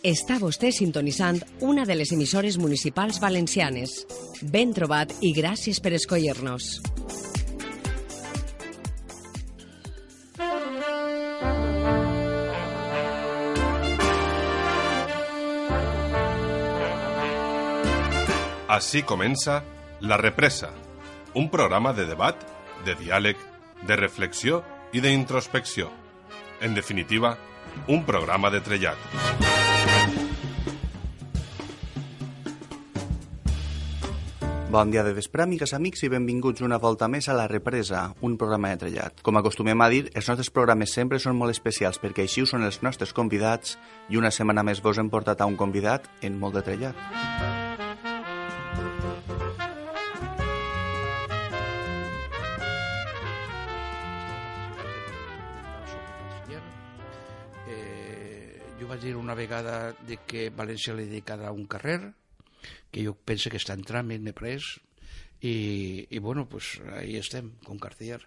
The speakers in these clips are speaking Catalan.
Està vostè sintonitzant una de les emissores municipals valencianes. Ben trobat i gràcies per escollir-nos. Así comença La Represa, un programa de debat, de diàleg, de reflexió i d'introspecció. En definitiva, un programa de trellat. Bon dia de vespre, amigues, amics, i benvinguts una volta més a La Represa, un programa de trellat. Com acostumem a dir, els nostres programes sempre són molt especials perquè així ho són els nostres convidats i una setmana més vos hem portat a un convidat en molt de trellat. Jo vaig dir una vegada de que València li dedicarà un carrer, que jo penso que està en tràmit, m'he pres, i bueno, pues ahí estem, con Cartier.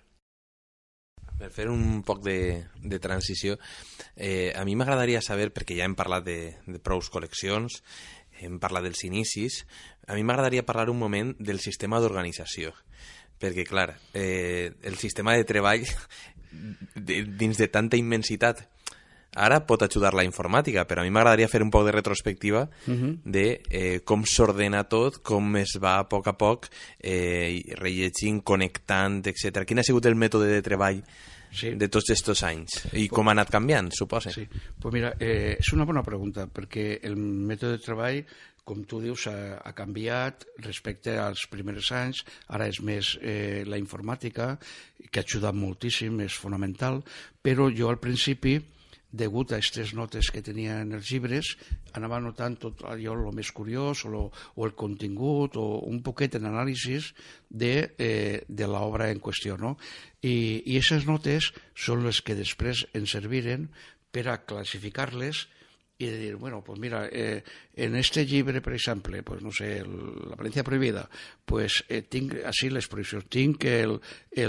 Per fer un poc de transició, a mi m'agradaria saber, perquè ja hem parlat de prous col·leccions, hem parlat dels inicis, a mi m'agradaria parlar un moment del sistema d'organització, perquè, clar, el sistema de treball dins de tanta immensitat ara pot ajudar la informàtica, però a mi m'agradaria fer un poc de retrospectiva de com s'ordena tot, com es va a poc rellegint, connectant, etc. Quin ha sigut el mètode de treball de tots aquests anys? I com ha anat canviant, suposa? Sí, pues mira, és una bona pregunta, perquè el mètode de treball, com tu dius, ha canviat respecte als primers anys. Ara és més la informàtica, que ha ajudat moltíssim, és fonamental, però jo al principi, degut a aquestes notes que tenia en els llibres, anava notant tot allò el més curiós o el contingut o un poquet en anàlisis de l'obra en qüestió, no? I aquestes notes són les que després ens serviren per a classificar-les i de dir, bueno, pues mira, en este llibre, per exemple, pues no sé, La Valencia Prohibida, pues tinc així les prohibicions, tinc el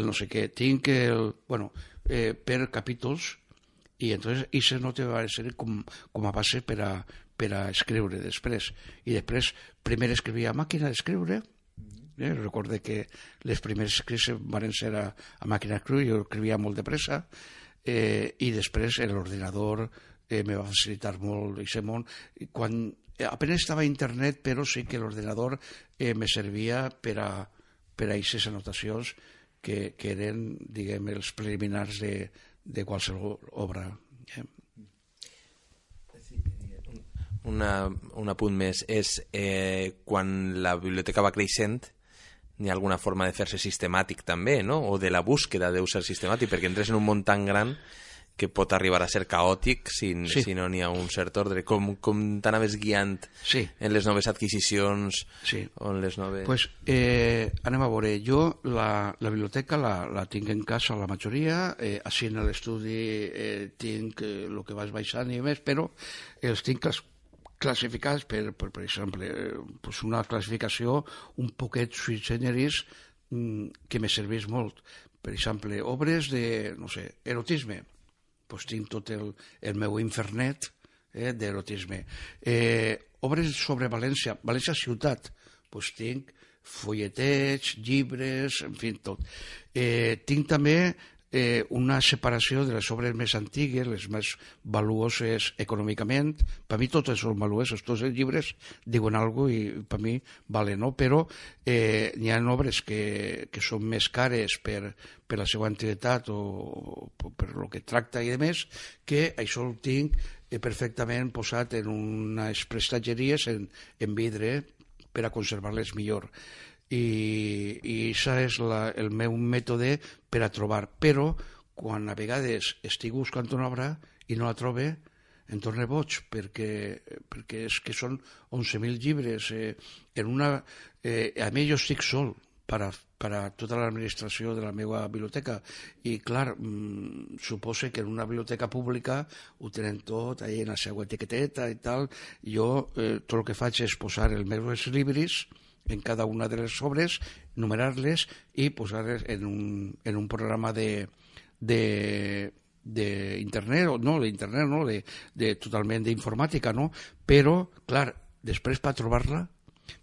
no sé què, tinc el... Bueno, per capítols. I entonces això no te va ser com a base per a escriure després. I després, primer escrivia a màquina d'escriure. Recorde que les primeres escrits van ser a màquina d'escriure, jo escrivia molt de pressa, i després l'ordinador me va facilitar molt aquest món. Quan apenas estava a internet, però sí que l'ordinador me servia per a aquestes anotacions que eren, diguem, els preliminars de qualsevol obra. Un apunt més és quan la biblioteca va creixent n'hi ha alguna forma de fer-se sistemàtic també, no? O de la búsqueda deu ser sistemàtic, perquè entres en un món tan gran que pot arribar a ser caòtic si no n'hi ha un cert ordre. Com t'anaves guiant en les noves adquisicions o en les noves... Pues anem a veure, jo la biblioteca la tinc en casa la majoria, així en l'estudi tinc el que vas baixant i més, però els tinc classificats per exemple, pues una classificació un poquet sui generis que me serveix molt. Per exemple, obres de, no sé, erotisme, pues tinc tot el meu infernet d'erotisme. Obres sobre València ciutat, pues tinc folletets, llibres, en fi, tot. Tinc també una separació de les obres més antigues, les més valuoses econòmicament. Per mi totes són valuoses, tots els llibres diuen alguna cosa i per mi valen, no? Però n'hi ha obres que són més cares per la seva antiguitat o per el que tracta i demés, que això ho tinc perfectament posat en unes prestatgeries en vidre per a conservar-les millor. I això és el meu mètode per a trobar, però quan a vegades estic buscant una obra i no la trobe em torno boig, perquè és que són 11.000 llibres a mi jo estic sol per a tota l'administració de la meva biblioteca i clar, suposa que en una biblioteca pública ho tenen tot ahí en la seva etiqueteta i tal. Jo tot el que faig és posar els meus llibres en cada una de les obres, numerar-les i posar-les en un programa de d'internet, no, d'internet no, totalment d'informàtica, no? Però, clar, després per trobar-la,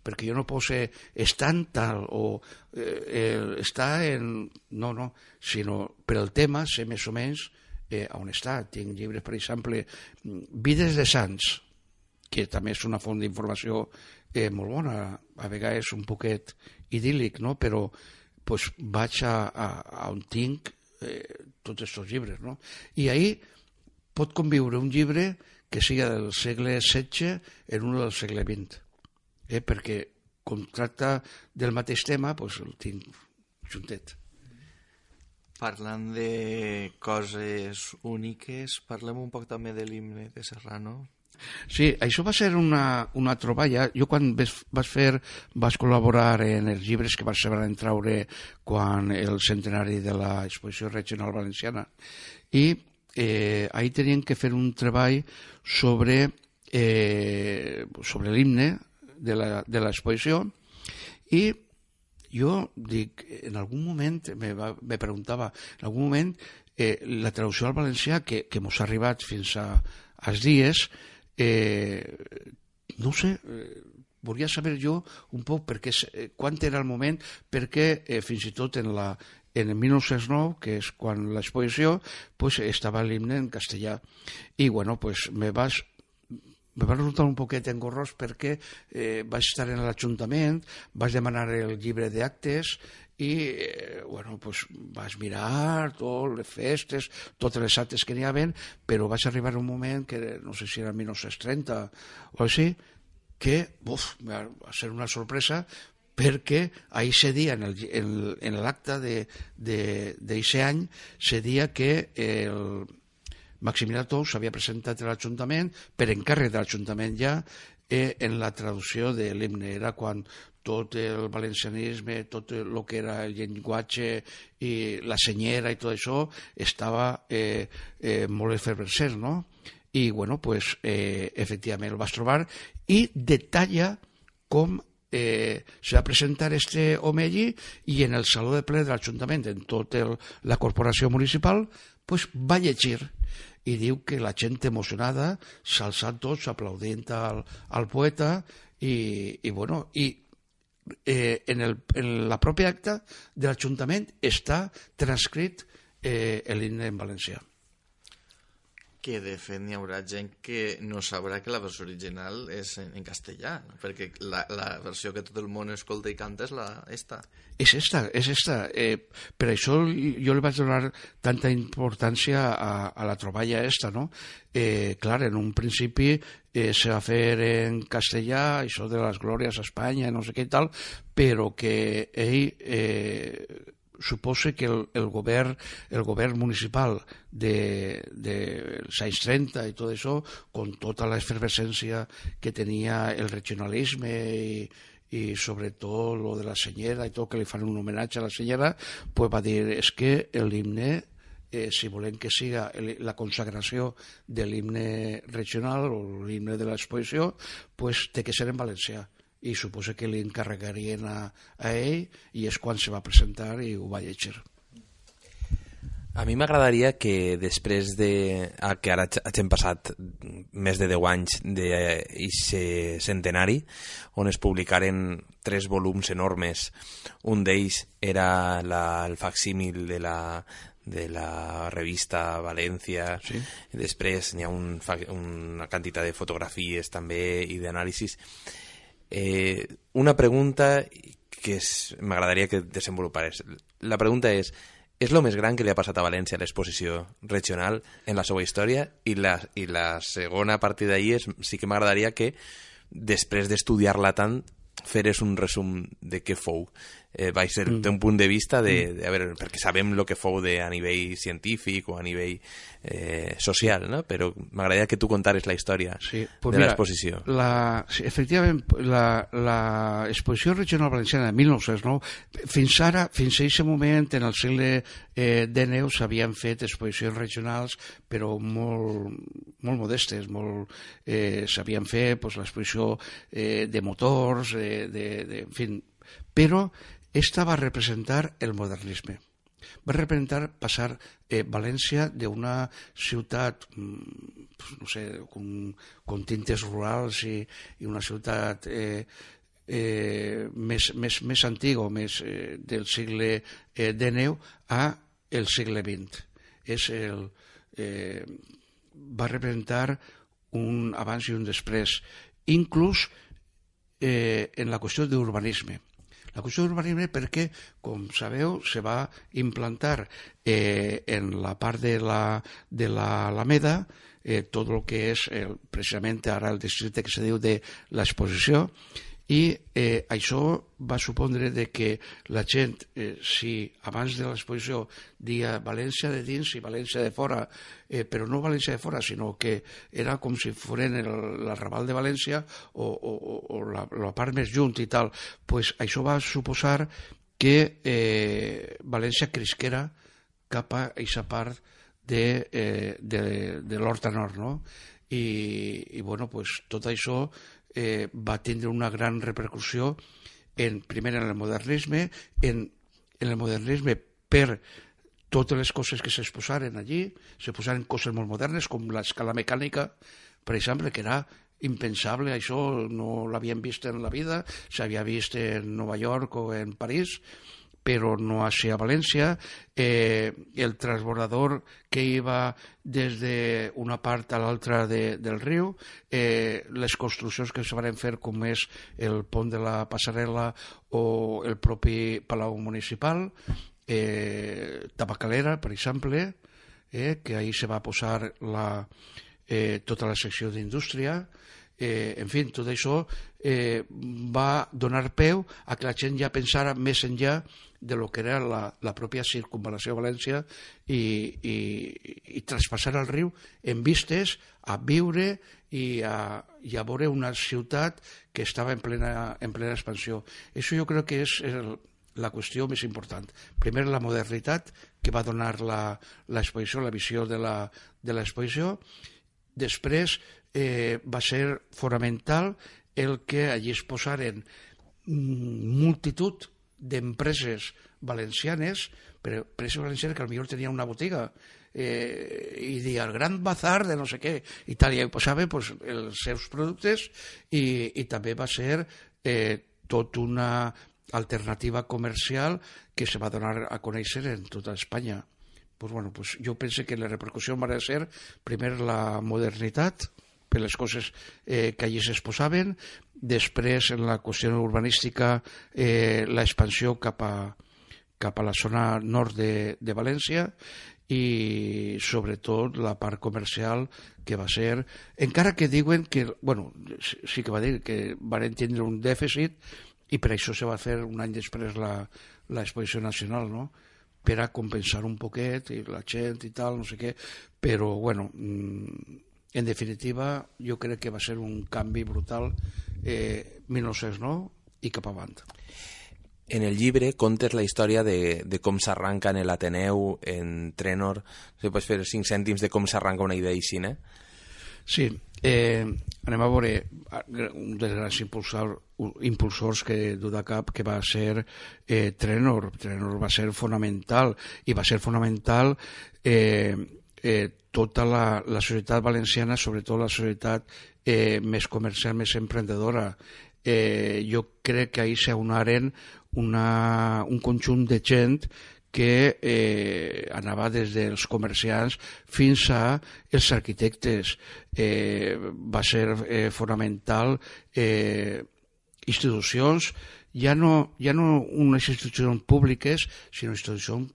perquè jo no puc ser estant tal o està en... No, sinó per el tema sé més o menys on està. Tinc llibres, per exemple, Vides de Sants, que també és una font d'informació molt bona, a vegades un poquet idíl·lic, no? Però pues, vaig a on tinc tots aquests llibres, no? I ahir pot conviure un llibre que siga del segle XVI en un del segle XX, perquè com tracta del mateix tema, pues, el tinc juntet. Parlant de coses úniques, parlem un poc també de l'himne de Serrano. Sí, això va ser una troballa. Jo quan vaig col·laborar en els llibres que se van traure quan el centenari de l'exposició regional valenciana, i ahir tenien que fer un treball sobre l'himne de l'exposició, i jo dic, en algun moment me preguntava, en algun moment la traducció al valencià que mos ha arribat fins als dies, no sé, volia saber jo un poc quan era el moment, perquè fins i tot en el 1909, que és quan l'exposició, pues, estava l'himne en castellà. I bueno, pues, me va resultar un poquet engorrós perquè vaig estar en l'Ajuntament, vaig demanar el llibre d'actes i bueno, pues, vaig mirar totes les festes, totes les actes que n'hi havia, però vaig arribar a un moment que no sé si era 1930 o així, que va ser una sorpresa, perquè ahir se dia en l'acte d'aquest any se dia que el Maximilià Tous s'havia presentat a l'Ajuntament per encàrrec de l'Ajuntament ja en la traducció de l'himne. Era quan tot el valencianisme, tot el que era el llenguatge i la senyera i tot això estava molt efervescent, no? I, bueno, pues, efectivament el vas trobar i detalla com se va presentar este home allí, i en el saló de ple de l'Ajuntament, en tota la corporació municipal, pues, va llegir i diu que la gent emocionada s'alçant tots aplaudint al poeta i bueno, i en la pròpia acta de l'Ajuntament està transcrit l'himne en valencià. Que de fet n'hi haurà gent que no sabrà que la versió original és en castellà, perquè la versió que tot el món escolta i canta és esta. És esta. Per això jo li vaig donar tanta importància a la troballa esta, no? Clar, en un principi se va fer en castellà, això de les glòries a Espanya, no sé què i tal, però que ell suposa que el govern municipal dels anys 30 i tot això, con tota l'efervescència que tenia el regionalisme i sobretot lo de la senyera i tot, que li fan un homenatge a la senyera, pues va dir, és que l'himne, si volem que siga la consagració de l'himne regional o l'himne de l'exposició, pues té que ser en valencià. I suposa que li encarregarien a ell, i és quan se va presentar i ho va llegir. A mi m'agradaria que després que ara hagin passat més de 10 anys d'aquest centenari, on es publicaren 3 volums enormes, un d'ells era el facsímil de la revista València, sí. Després n'hi ha una quantitat de fotografies també i d'anàlisis. Una pregunta que m'agradaria que desenvolupares. La pregunta és el més gran que li ha passat a València a l'exposició regional en la seva història? I la segona, a partir d'ahir, sí que m'agradaria que després d'estudiar-la tant feres un resum de què fou. Va ser un punt de vista perquè sabem el que fou a nivell científic o a nivell social, no? Però m'agradaria que tu contares la història de l'exposició. Sí, efectivament, l'exposició regional valenciana de 1909, fins a aquest moment, en el segle XIX, s'havien fet exposicions regionals, però molt modestes, s'havien fet l'exposició de motors, en fi, però esta va representar el modernisme. va representar passar València d'una ciutat, no sé, con tintes rurals i una ciutat més antiga, més del segle XIX a el segle XX. Va representar un abans i un després, inclús en la qüestió d'urbanisme. La qüestió d'urbanisme perquè, com sabeu, se va implantar en la part de l'Alameda tot el que és precisament ara el districte que se diu de l'Exposició, i això va supondre que la gent, si abans de l'exposició dia València de dins i València de fora, però no València de fora, sinó que era com si foren l'arrabal de València o la part més junt i tal, pues això va suposar que València crisquera cap a aquesta part de l'Horta Nord, no? I bueno, pues tot això va tindre una gran repercussió primer en el modernisme, en el modernisme per totes les coses que s'exposaren allí, se posaren coses molt modernes com l'escala mecànica, per exemple, que era impensable, això no l'havien vist en la vida, s'havia vist en Nova York o en París, però no així a València. El transbordador que iba des d'una part a l'altra del riu, les construccions que es van fer, com és el pont de la Passarel·la o el propi Palau Municipal, Tabacalera, per exemple, que ahir se va posar tota la secció d'indústria. En fi, tot això va donar peu a que la gent ja pensara més enllà de lo que era la pròpia circunvalació de València i traspassar el riu en vistes a viure i a veure una ciutat que estava en plena expansió. Això jo crec que és la qüestió més important. Primer, la modernitat que va donar l'exposició, la visió de l'exposició. Després va ser fonamental el que allí es posaren multitud d'empreses valencianes, però empreses valencianes que potser tenien una botiga i deia el gran bazar de no sé què i tal, i hi posaven els seus productes i també va ser tot una alternativa comercial que se va donar a conèixer en tota Espanya. Jo penso que la repercussió va ser primer la modernitat per les coses que allí s'exposaven, després en la qüestió urbanística l'expansió cap a la zona nord de València i sobretot la part comercial que va ser, encara que diuen que, sí que va dir que van tindre un dèficit i per això se va fer un any després l'exposició nacional, no?, per a compensar un poquet i la gent i tal, no sé què, però en definitiva jo crec que va ser un canvi brutal 1909 i cap avant. En el llibre contes la història de com s'arranca en l'Ateneu, en Trenor. Si pots fer 5 cèntims de com s'arranca una idea així, eh? Sí, anem a veure un dels grans impulsors que du de cap, que va ser Trenor. Trenor va ser fonamental, i va ser fonamental tota la societat valenciana, sobretot la societat més comercial, més emprendedora. Jo crec que ahir s'aunaren un conjunt de gent que anava des dels comerciants fins a els arquitectes. Va ser fonamental institucions, ja no unes institucions públiques, sinó institucions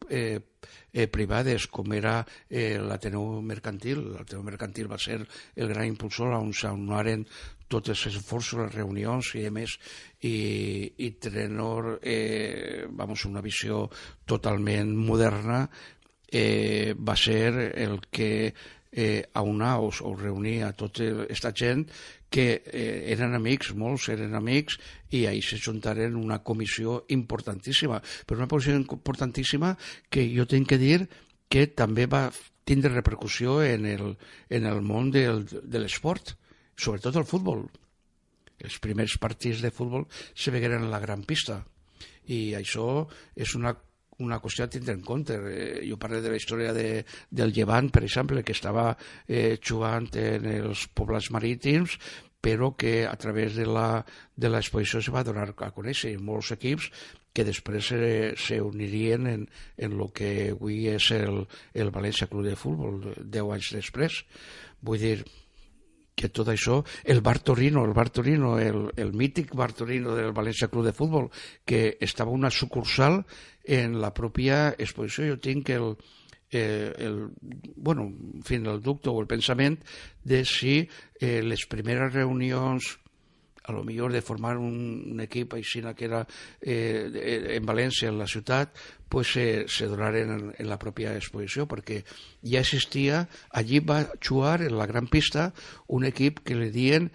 privades, com era l'Ateneu Mercantil. L'Ateneu Mercantil va ser el gran impulsor on s'aunaren tots els esforços, les reunions i demés, i Trenor, una visió totalment moderna, va ser el que aunar o reunir a tota aquesta gent que eren amics, molts eren amics, i ahir se juntaren una comissió importantíssima, però una comissió importantíssima que jo tinc que dir que també va tindre repercussió en el món de l'esport, sobretot el futbol. Els primers partits de futbol se vegueren a la gran pista, i això és una una qüestió a tindre en compte. Jo parlo de la història del Llevant, per exemple, que estava jugant en els poblats marítims, però que a través de l'exposició se va donar a conèixer molts equips que després s'unirien en el que avui és el València Club de Futbol 10 anys després. Vull dir que tot això, el Bar Torino, el mític Bar Torino del València Club de Futbol, que estava una sucursal en la pròpia exposició. Jo tinc el dubte o el pensament de si les primeres reunions, a lo millor de formar un equip així que era en València, en la ciutat, pues se donaren en la pròpia exposició, perquè ja existia, allí va jugar en la gran pista un equip que li diuen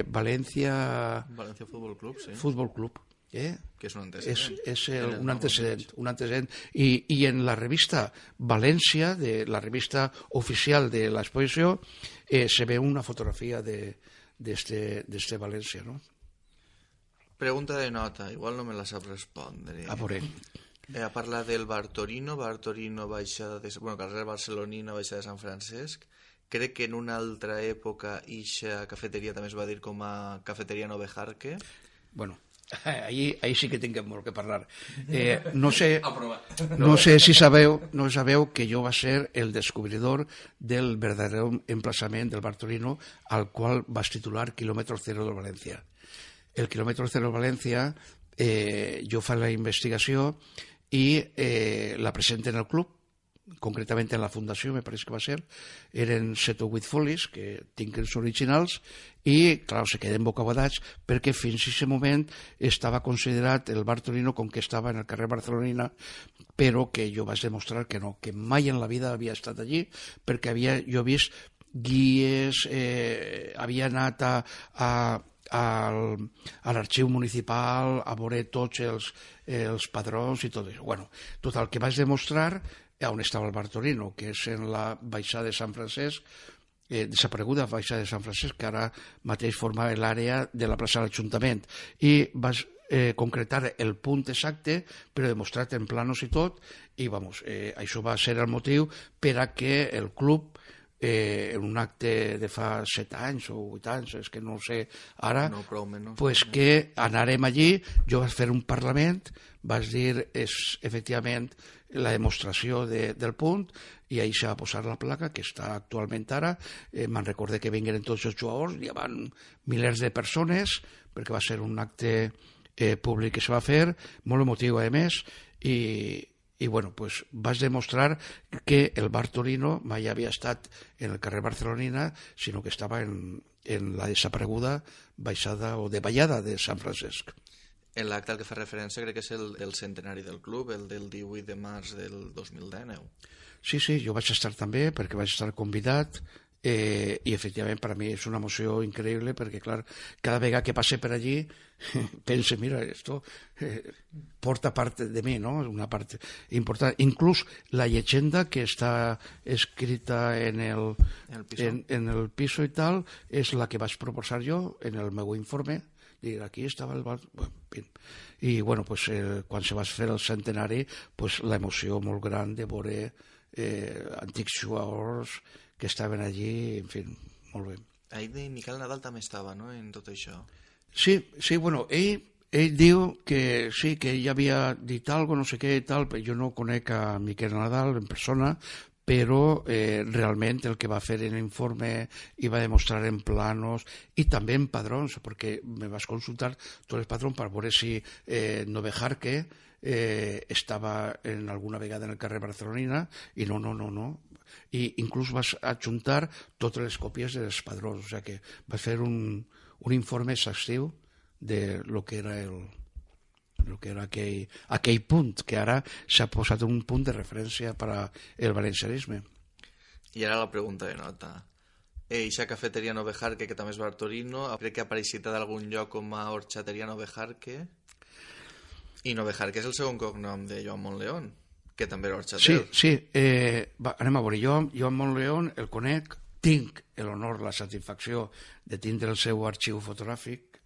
València Futbol Club, sí. Futbol Club. Que és un antecedent. És un antecedent. I en la revista València, la revista oficial de l'exposició, se ve una fotografia d'este València, no? Pregunta de nota, igual no me la sap respondre. A veure. Ha parlat del Bar Torino, baixada carrer Barcelonina, baixada de Sant Francesc. Crec que en una altra època ixa cafeteria també es va dir com a cafeteria Novejarque. Bueno, ahí sí que tinc molt que parlar. No sé si sabeu que jo va ser el descobridor del verdadero emplaçament del Bar Torino, al qual vas titular Kilómetro Cero de València. El Kilómetro Cero de València, jo faig la investigació i la presenten al club, concretament en la fundació, me pareix que va ser, eren 7 o 8 folis, que tinc els originals, i, clar, se queden bocabadats, perquè fins a aquest moment estava considerat el Bar Torino com que estava en el carrer Barcelonina, però que jo vaig demostrar que no, que mai en la vida havia estat allí, perquè jo he vist guies, havia anat a l'arxiu municipal a veure tots els padrons i tot això. Bueno, tot el que vaig demostrar on estava el Bar Torino, que és en la baixada de Sant Francesc, desapareguda baixada de Sant Francesc, que ara mateix formava l'àrea de la plaça de l'Ajuntament, i vaig concretar el punt exacte, però demostrat en planos i tot, i això va ser el motiu per a que el club, en un acte de fa 7 anys o 8 anys, és que no ho sé ara, pues que anàrem allí, jo vaig fer un parlament, vaig dir efectivament la demostració del punt, i ahir s'ha posat la placa que està actualment ara. Me'n recordé que vingueren tots els jugadors, hi havia milers de persones, perquè va ser un acte públic que se va fer, molt emotiu a més, i bueno, pues vaig demostrar que el Bar Torino mai havia estat en el carrer Barcelonina, sinó que estava en la desapareguda baixada o de ballada de Sant Francesc. En l'acte al que fa referència crec que és el centenari del club, el del 18 de març del 2019. Sí, jo vaig estar també, perquè vaig estar convidat, i efectivament per a mi és una emoció increïble, perquè clar, cada vegada que passe per allí pense, mira, esto porta part de mi, no? Una part important. Inclús la llegenda que està escrita en el piso i tal és la que vaig proposar jo en el meu informe. Dir, aquí estava el bar... I bueno, pues, quan se va fer el centenari, pues, l'emoció molt gran de veure antics jugadors que estaven allí, en fi, molt bé. Ahir Miquel Nadal també estava, no?, en tot això. Sí, bueno, ell diu que sí, que ell havia dit alguna cosa, no sé què i tal, però jo no conec a Miquel Nadal en persona, però realment el que va fer en l'informe i va demostrar en planos i també en padrons, perquè me vas consultar tots els padrons per veure si Novejarque estava en alguna vegada en el carrer Barcelonina, i no. I inclús vas adjuntar totes les còpies dels padrons, o sigui que vas fer un informe exhaustiu de lo que era aquell punt, que ara s'ha posat un punt de referència per al valencianisme. I ara la pregunta de nota. Eixa cafeteria Novejarque, que també és Bar Torino, crec que ha apareixit d'algun lloc com a horxateria Novejarque, i Novejarque és el segon cognom de Joan Montleón, que també era horxater. Sí, anem a veure, jo Joan Montleón el conec, tinc l'honor, la satisfacció de tindre el seu arxiu fotogràfic,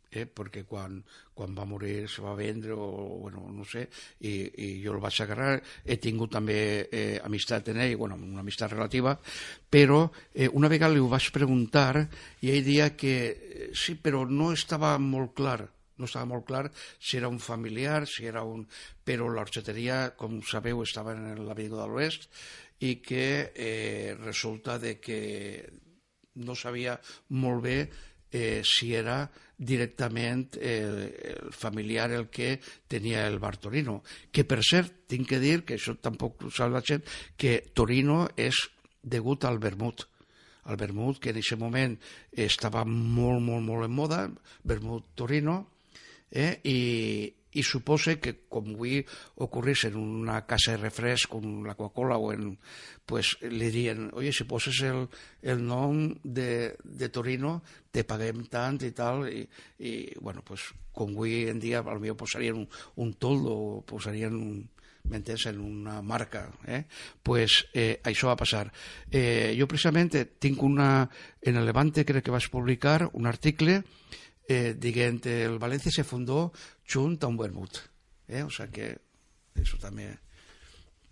perquè quan va morir se va vendre o bueno, no sé, i jo el vaig agarrar. He tingut també amistat en ell, bueno, una amistat relativa, però una vegada li ho vaig preguntar i ell deia que sí, però no estava molt clar. No estava molt clar si era un familiar, si era un... Però l'orxateria, com sabeu, estava en l'Avinguda de l'Oest i que resulta de que no sabia molt bé si era directament el familiar el que tenia el bar Torino, que per cert, tinc que dir, que això tampoc ho sap la gent, que Torino és degut al vermut. El vermut, que en aquest moment estava molt, molt, molt en moda, vermut Torino, i suposa que com avui ocorrís en una casa de refresc com la Coca-Cola o en, pues li dirien, oye, si poses el nom de Torino te paguem tant i tal, i bueno, pues com avui en dia potser posarien un toldo o posarien m'entens, en una marca, pues això va passar. Jo precisament tinc en el Levante crec que vaig publicar un article dient el València se fundó junt a un vermut. O sea que eso també...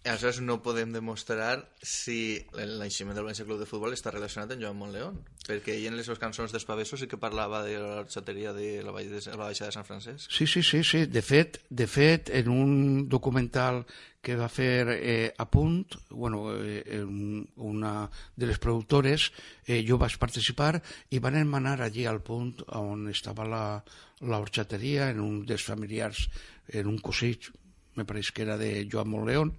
Aleshores no podem demostrar si l'enximent del València Club de Futbol està relacionat amb Joan Montleón, perquè ell en les seves cançons d'Espaveso sí que parlava de l'orxateria de la Baixa de Sant Francesc. Sí. De fet, en un documental que va fer a Punt, bueno, una de les productores, jo vaig participar i van emanar allí al Punt on estava l'orxateria, en un dels familiars, en un cosí, me pareix que era de Joan Montleón,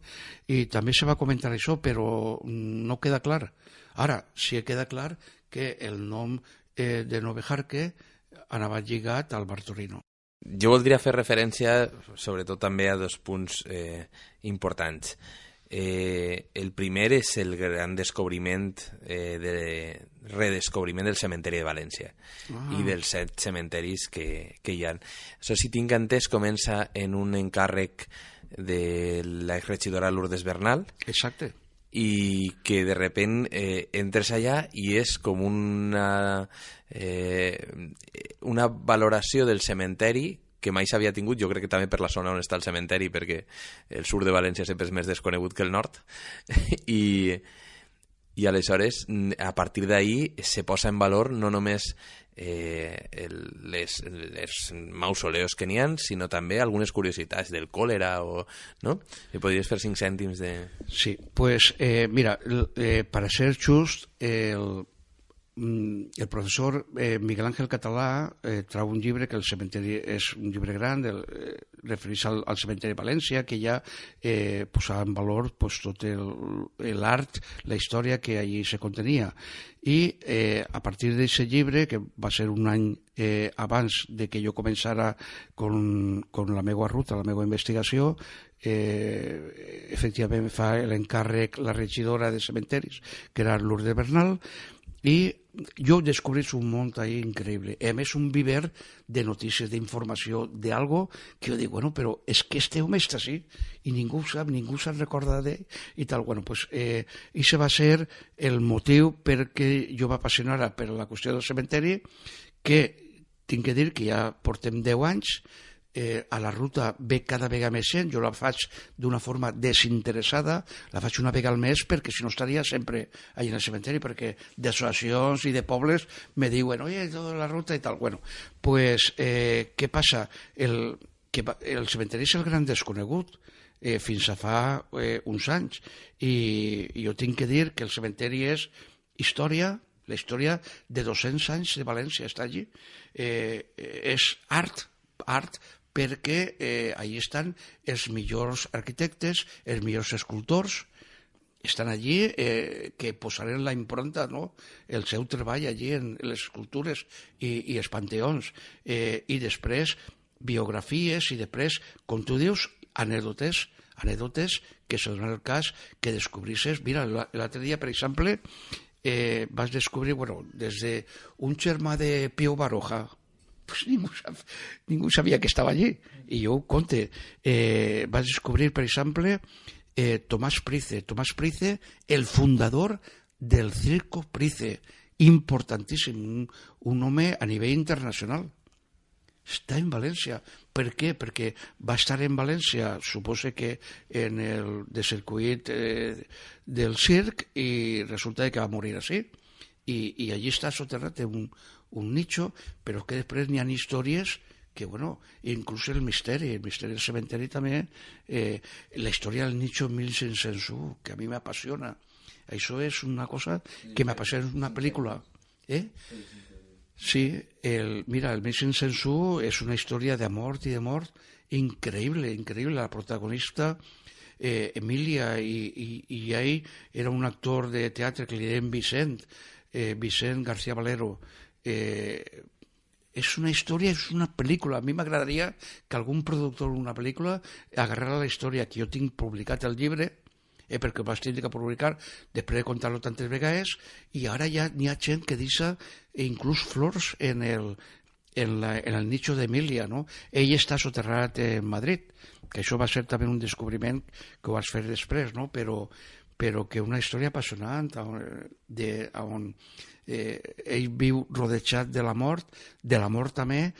i també se va comentar això, però no queda clar. Ara, sí queda clar que el nom de Novejarque anava lligat al bar Torino. Jo voldria fer referència, sobretot també a dos punts importants. El primer és el gran descobriment, redescobriment del cementeri de València i dels 7 cementeris que hi ha. Això, si tinc entès, comença en un encàrrec de l'exregidora Lourdes Bernal. Exacte. I que de repent entres allà i és com una valoració del cementeri que mai s'havia tingut, jo crec que també per la zona on està el cementeri, perquè el sud de València sempre és més desconegut que el nord, i aleshores a partir d'ahir se posa en valor no només les mausoleos que n'hi ha, sinó també algunes curiositats del còlera, no? I podries fer 5 cèntims de... Sí, pues mira, para ser just, el professor Miguel Ángel Català trau un llibre, que el cementeri és un llibre gran, refereix al cementeri de València, que ja posava en valor pues, tot l'art, la història que allí se contenia. I a partir d'aquest llibre, que va ser un any abans de que jo començara con la meva ruta, la meva investigació, efectivament fa l'encàrrec la regidora de cementeris, que era Lourdes Bernal, i jo descobrís un món ahí increïble. A més, un viver de notícies, d'informació, d'algo que jo dic, bueno, però és que este home està així i ningú ho sap, ningú se'n recorda d'ell i tal. Bueno, pues, això va ser el motiu perquè jo m'apassionara per la qüestió del cementeri, que tinc que dir que ja portem 10 anys, a la ruta ve cada vegada més gent, jo la faig d'una forma desinteressada, la faig una vegada al mes perquè si no estaria sempre allà en el cementeri, perquè d'associacions i de pobles me diuen, oye, tota la ruta i tal. Bueno, pues, què passa? El cementeri és el gran desconegut fins a fa uns anys, i jo tinc que dir que el cementeri és història, la història de 200 anys de València està allí, és art, perquè allí estan els millors arquitectes, els millors escultors, estan allí que posaren la impronta, no? El seu treball allí en les escultures i els panteons, i després biografies i després, com tu dius, anècdotes que se donen el cas que descobrisses. Mira, l'altre dia, per exemple, vas descobrir, bueno, des d'un germà de Pío Baroja, pues ningú sabia que estava allí, i jo ho conte. Vaig descobrir, per exemple, Tomàs Price, el fundador del Circo Price, importantíssim, un home a nivell internacional. està en València. Per què? Perquè va estar en València, suposo que en el de circuit del circ, i resulta que va morir així. I allí està soterrat un nicho, però que després n'hi ha històries que, bueno, inclús el misteri del cementeri també, la història del nicho 1501, que a mi m'apassiona. Això és una cosa que m'apassiona, és una pel·lícula. Sí, mira, el 1501 és una història d'amor i de mort increïble, increïble. La protagonista, Emilia, i ell era un actor de teatre que li deien Vicent García Valero. És una història, és una pel·lícula. A mi m'agradaria que algun productor d'una pel·lícula agarrara la història, que jo tinc publicat el llibre, perquè ho vaig tenir que publicar després de contar-lo tantes vegades, i ara ja n'hi ha gent que deixa inclús flors en el nicho d'Emília, no? Ell està soterrat en Madrid, que això va ser també un descobriment que ho vas fer després, no? Però que una història apassionant on ell viu rodejat de la mort també,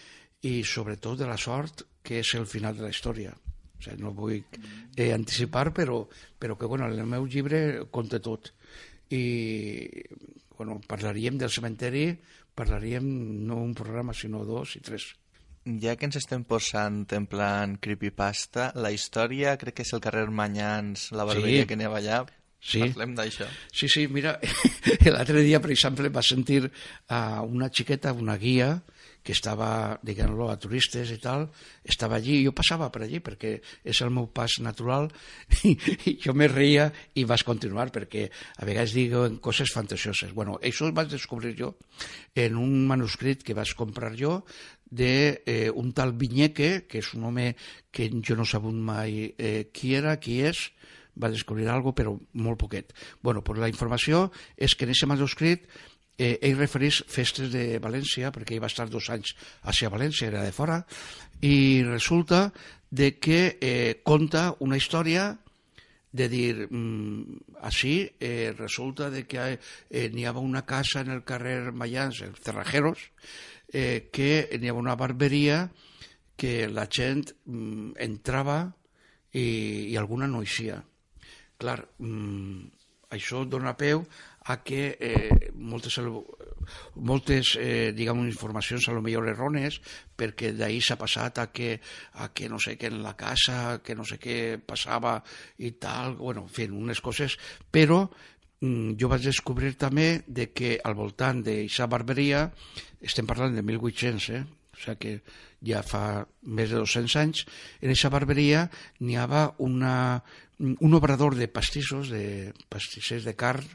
i sobretot de la sort, que és el final de la història. O sigui, no vull anticipar, però que, bueno, en el meu llibre conta tot. I, bueno, parlaríem del cementeri, parlaríem no un programa, sinó 2 i 3. Ja que ens estem posant en plan creepypasta, la història crec que és el carrer Manyans, la barberia que n'hi ha allà. Sí. Parlem d'això. Sí, mira, l'altre dia, per exemple, va sentir a una xiqueta, una guia, que estava, diguem-lo, a turistes i tal, estava allí, jo passava per allí perquè és el meu pas natural, i jo me reia i vaig continuar perquè a vegades diuen coses fantasioses. Bueno, això ho vaig descobrir jo en un manuscrit que vaig comprar jo d'un tal Viñeque, que és un home que jo no he sabut mai qui era, qui és, va descobrir alguna cosa, però molt poquet. Bueno, pues la informació és que en aquest manuscrit ell refereix festes de València, perquè ell va estar 2 anys a València, era de fora, i resulta de que conta una història de dir, així resulta de que n'hi havia una casa en el carrer Mayans, els Cerrajeros, que n'hi havia una barberia que la gent entrava i alguna no eixia. Clar, això dona peu a que moltes diguem, informacions a lo millor errònies, perquè d'ahir s'ha passat a que no sé què en la casa, que no sé què passava i tal, bueno, en fi, unes coses, però jo vaig descobrir també de que al voltant d'aquesta barberia, estem parlant de 1800, o sigui que ja fa més de 200 anys, en aquesta barberia n'hi havia un obrador de pastissos, de pastissers de carn,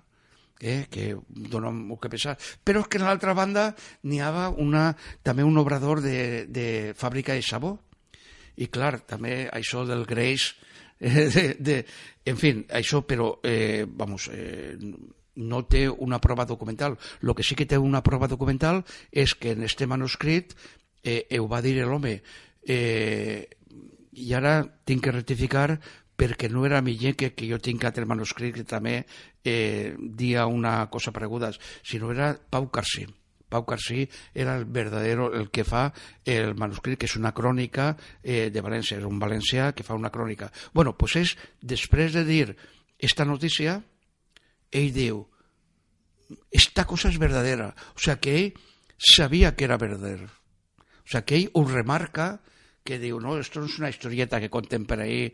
que dona molt que pensar, però és que en l'altra banda n'hi havia també un obrador de fàbrica de sabó, i clar, també això del greix, en fi, això, però no té una prova documental. El que sí que té una prova documental és que en este manuscrit ho va dir l'home, i ara tinc que rectificar perquè no era Viñeque, que jo tinc altre manuscrit que també dia una cosa pareguda, sinó era Pau Carsí. Pau Carsí era el que fa el manuscrit, que és una crònica de València, és un valencià que fa una crònica. Bueno, doncs és, després de dir esta notícia, ell diu, esta cosa és verdadera. O sigui que ell sabia que era verdadera. O sigui que ell ho remarca, que diu, no, esto no es una historieta que conten per ahí,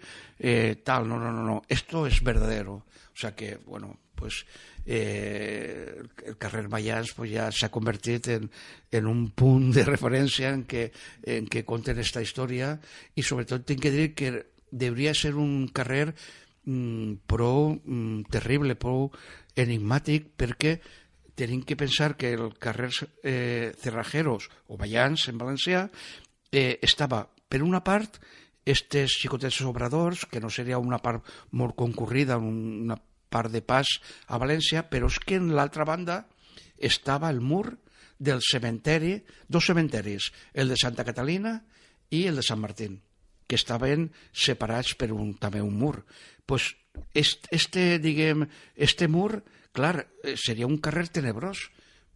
tal, no, esto es verdadero. O sea que, bueno, pues el carrer Mayans pues, ja s'ha convertit en un punt de referència en què conten esta història, i sobretot tinc que dir que hauria ser un carrer prou terrible, prou enigmàtic, perquè tenim que pensar que el carrer Cerrajeros o Mayans en valencià estava, per una part, estes xicotets obradors, que no seria una part molt concurrida, una part de pas a València, però és que en l'altra banda estava el mur del cementeri, 2 cementeris, el de Santa Catalina i el de Sant Martín, que estaven separats per també un mur. Pues este mur, clar, seria un carrer tenebrós,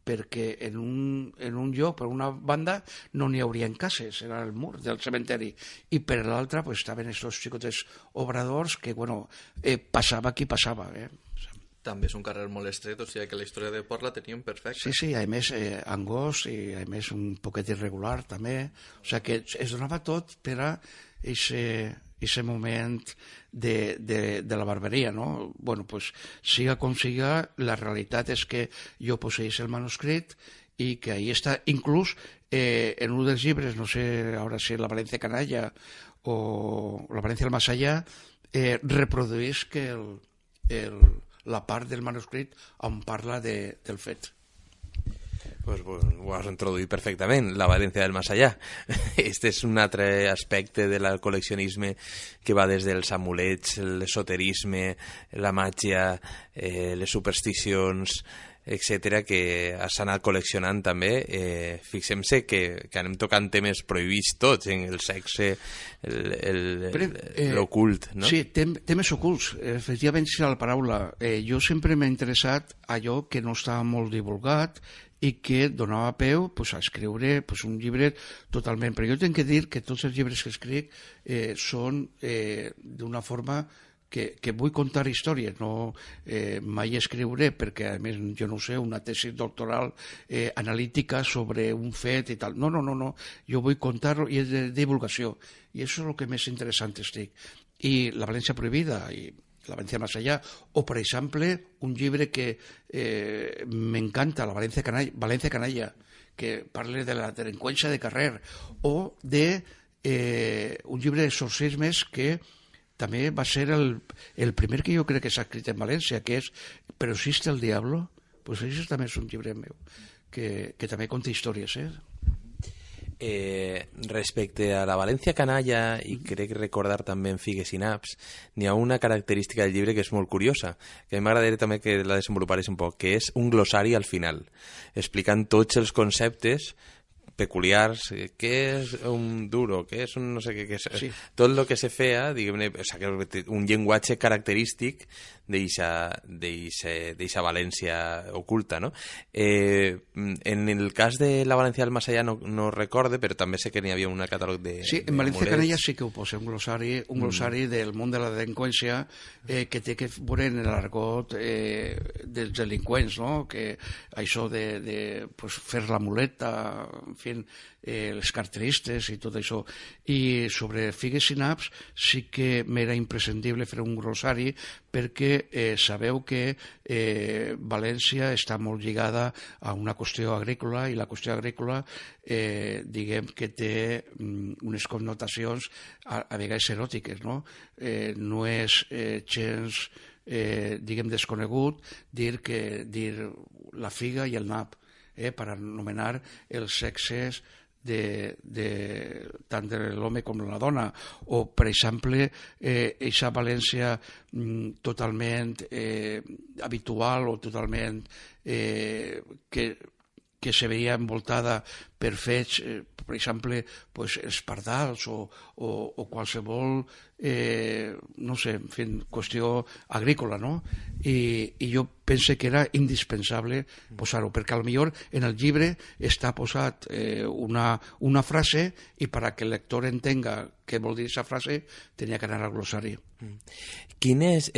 perquè en un lloc, per una banda, no n'hi haurien cases, era el mur del cementeri, i per l'altra pues, estaven aquests xicotes obradors que, bueno, passava qui passava, També és un carrer molt estret, o sigui que la història de Port la teníem perfecta. Sí, a més, angós i a més un poquet irregular també, o sigui que es donava tot per a aquest moment de la barberia, no? Bueno, pues siga com siga, la realitat és que jo posseïs el manuscrit i que ahí està, inclús en un dels llibres, no sé ara si la València Canalla o la València del Más Allá, reproduís que la part del manuscrit on parla del fet. Pues ho has introduït perfectament, la València del Más Allá. Este és un altre aspecte del col·leccionisme que va des dels amulets, l'esoterisme, la màgia, les supersticions, etcètera, que s'ha anat col·leccionant també. Fixem-se que anem tocant temes prohibits tots, en el sexe, l'ocult, no? Sí, temes ocults, efectivament és la paraula. Jo sempre m'ha interessat allò que no estava molt divulgat i que donava peu pues, a escriure pues, un llibre totalment. Però jo tinc que dir que tots els llibres que escric són d'una forma que vull contar històries, no mai escriuré, perquè a més jo no sé, una tesi doctoral analítica sobre un fet i tal. No, jo vull contar-lo i és de divulgació. I això és el que més interessant estic. I la València prohibida i la València Más Allá, o per exemple un llibre que m'encanta, la València Canalla, que parla de la delinqüència de carrer, o de un llibre d'exorcismes que també va ser el primer que jo crec que s'ha escrit en València, que és Però existe el diablo. Pues això també és un llibre meu que també conta històries, Respecte a la València Canalla, i crec recordar també en Figues i Naps, n'hi ha una característica del llibre que és molt curiosa, que a mi m'agradaria també que la desenvolupares un poc, que és un glossari al final, explicant tots els conceptes peculiars, què és un duro, què és un no sé què és, sí. Tot el que se feia, diguem-ne, o sigui, un llenguatge característic d'eixa València oculta, no? En el cas de la València del Más Allá no recorde, però també sé que n'hi havia un catàleg de... Sí, en València Canalla sí que ho posa, un glossari del món de la delinqüència que té que veure en l'argot dels delinqüents, no? Que això de pues, fer la muleta, en fi, les carteristes i tot això. I sobre Figues i Naps sí que m'era imprescindible fer un glossari perquè sabeu que València està molt lligada a una qüestió agrícola i la qüestió agrícola diguem que té unes connotacions a vegades eròtiques, no? No és gens diguem desconegut dir la figa i el nap per anomenar els sexes tant de l'home com de la dona, o per exemple eixa València totalment habitual o totalment que se veia envoltada per fets, per exemple, pues, els pardals o qualsevol, no sé, en fi, qüestió agrícola, no? I jo pense que era indispensable posar-ho, perquè potser en el llibre està posat una frase i perquè el lector entenga què vol dir aquesta frase tenia que anar al glossari. Quin és...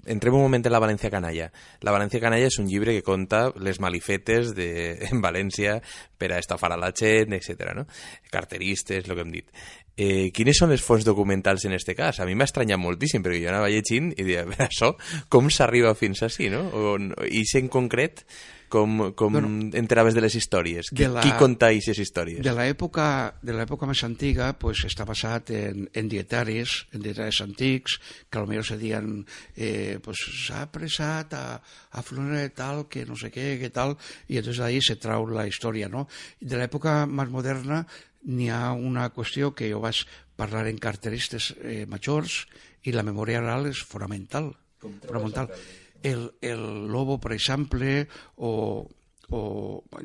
entrem un moment en la València Canalla. La València Canalla és un llibre que conta les malifetes en València per a estafar a la gent, etc. No? Carteristes, el que hem dit. Quines són les fonts documentals en aquest cas? A mi m'ha estranyat moltíssim, perquè jo anava llegint i deia, això, com s'arriba fins així, no? I en concret, com enteraves de les històries? Qui conta aquestes històries? De l'època més antiga pues, està basat en dietaris antics, que potser se diuen pues, s'ha apressat a Flora tal, que no sé què, que tal, i entonces ahí se trau la història, no? De l'època més moderna n'hi ha una qüestió que jo vaig parlar en carteristes majors i la memòria oral és fonamental. El Lobo, per exemple, o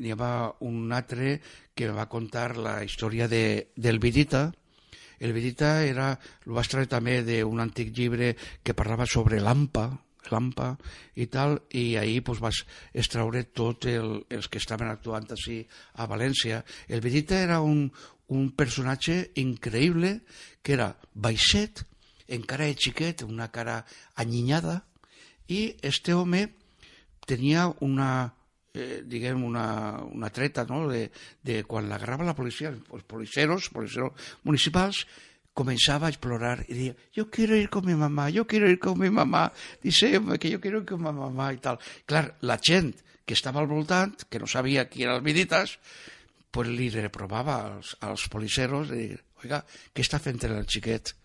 n'hi havia un altre que va contar la història del Vidita. El Vidita ho vaig treure també d'un antic llibre que parlava sobre l'AMPA, l'AMPA i tal, i ahir pues, vas extraure tots els que estaven actuant així a València. El Vidita era un personatge increïble, que era baixet, encara és xiquet, una cara anyinyada, i este home tenia una treta, ¿no? de quan l'agarrava la policia, els policeros municipals, comenzaba a explorar y decía, yo quiero ir con mi mamá, dice que yo quiero ir con mi mamá y tal. Clar, la gent que estava al voltant, que no sabia qui eren els Viditas, pues li reprovava als policeros de dir, oiga, què està fent el xiquet?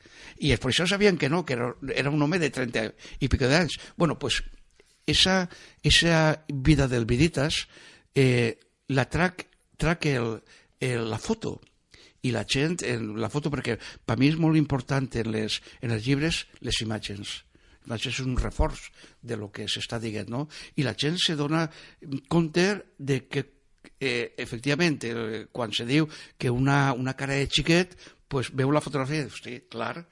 I els policeros sabien que no, que era un home de 30 i pico d'anys. Bueno, pues esa vida del Viditas la trac la foto, i la gent, en la foto, perquè per mi és molt important en els llibres les imatges. És un reforç de lo que s'està dient, no? I la gent se dona compte de que, efectivament, quan se diu que una cara de xiquet, pues veu la fotografia i dius, hosti, clar,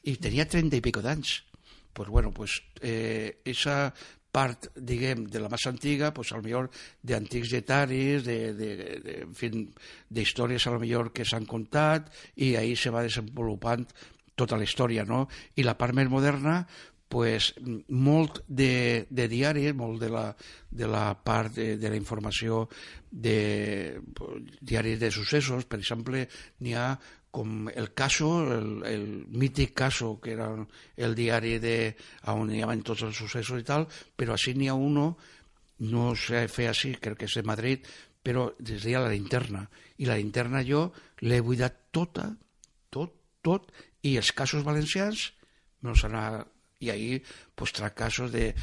i tenia 30 i pico d'anys. Pues bueno, pues esa part, diguem, de la massa antiga, pues, a lo millor d'antics dietaris, en fi, d'històries a lo millor que s'han contat, i ahí se va desenvolupant tota la història, no? I la part més moderna, pues, molt de diaris, molt de la part de la informació de diaris de successos. Per exemple, n'hi ha com el Caso, el mític Caso, que era el diari on hi havia tots els successos i tal, però així n'hi ha uno, no sé fer així, crec que és de Madrid, però es deia La Linterna. I La Linterna jo l'he buidat tot, i els casos valencians me'ls anava. I ahir pues, trac casos de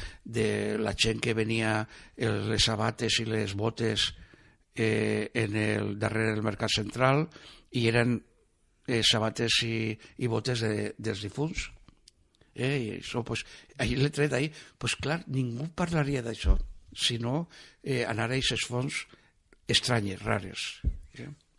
la gent que venia les sabates i les botes darrere del Mercat Central, i eren sabates i botes dels difunts. I això, pues, ahir l'he tret ahir. Pues clar, ningú parlaria d'això, sinó anar a aquestes fonts estranyes, rares.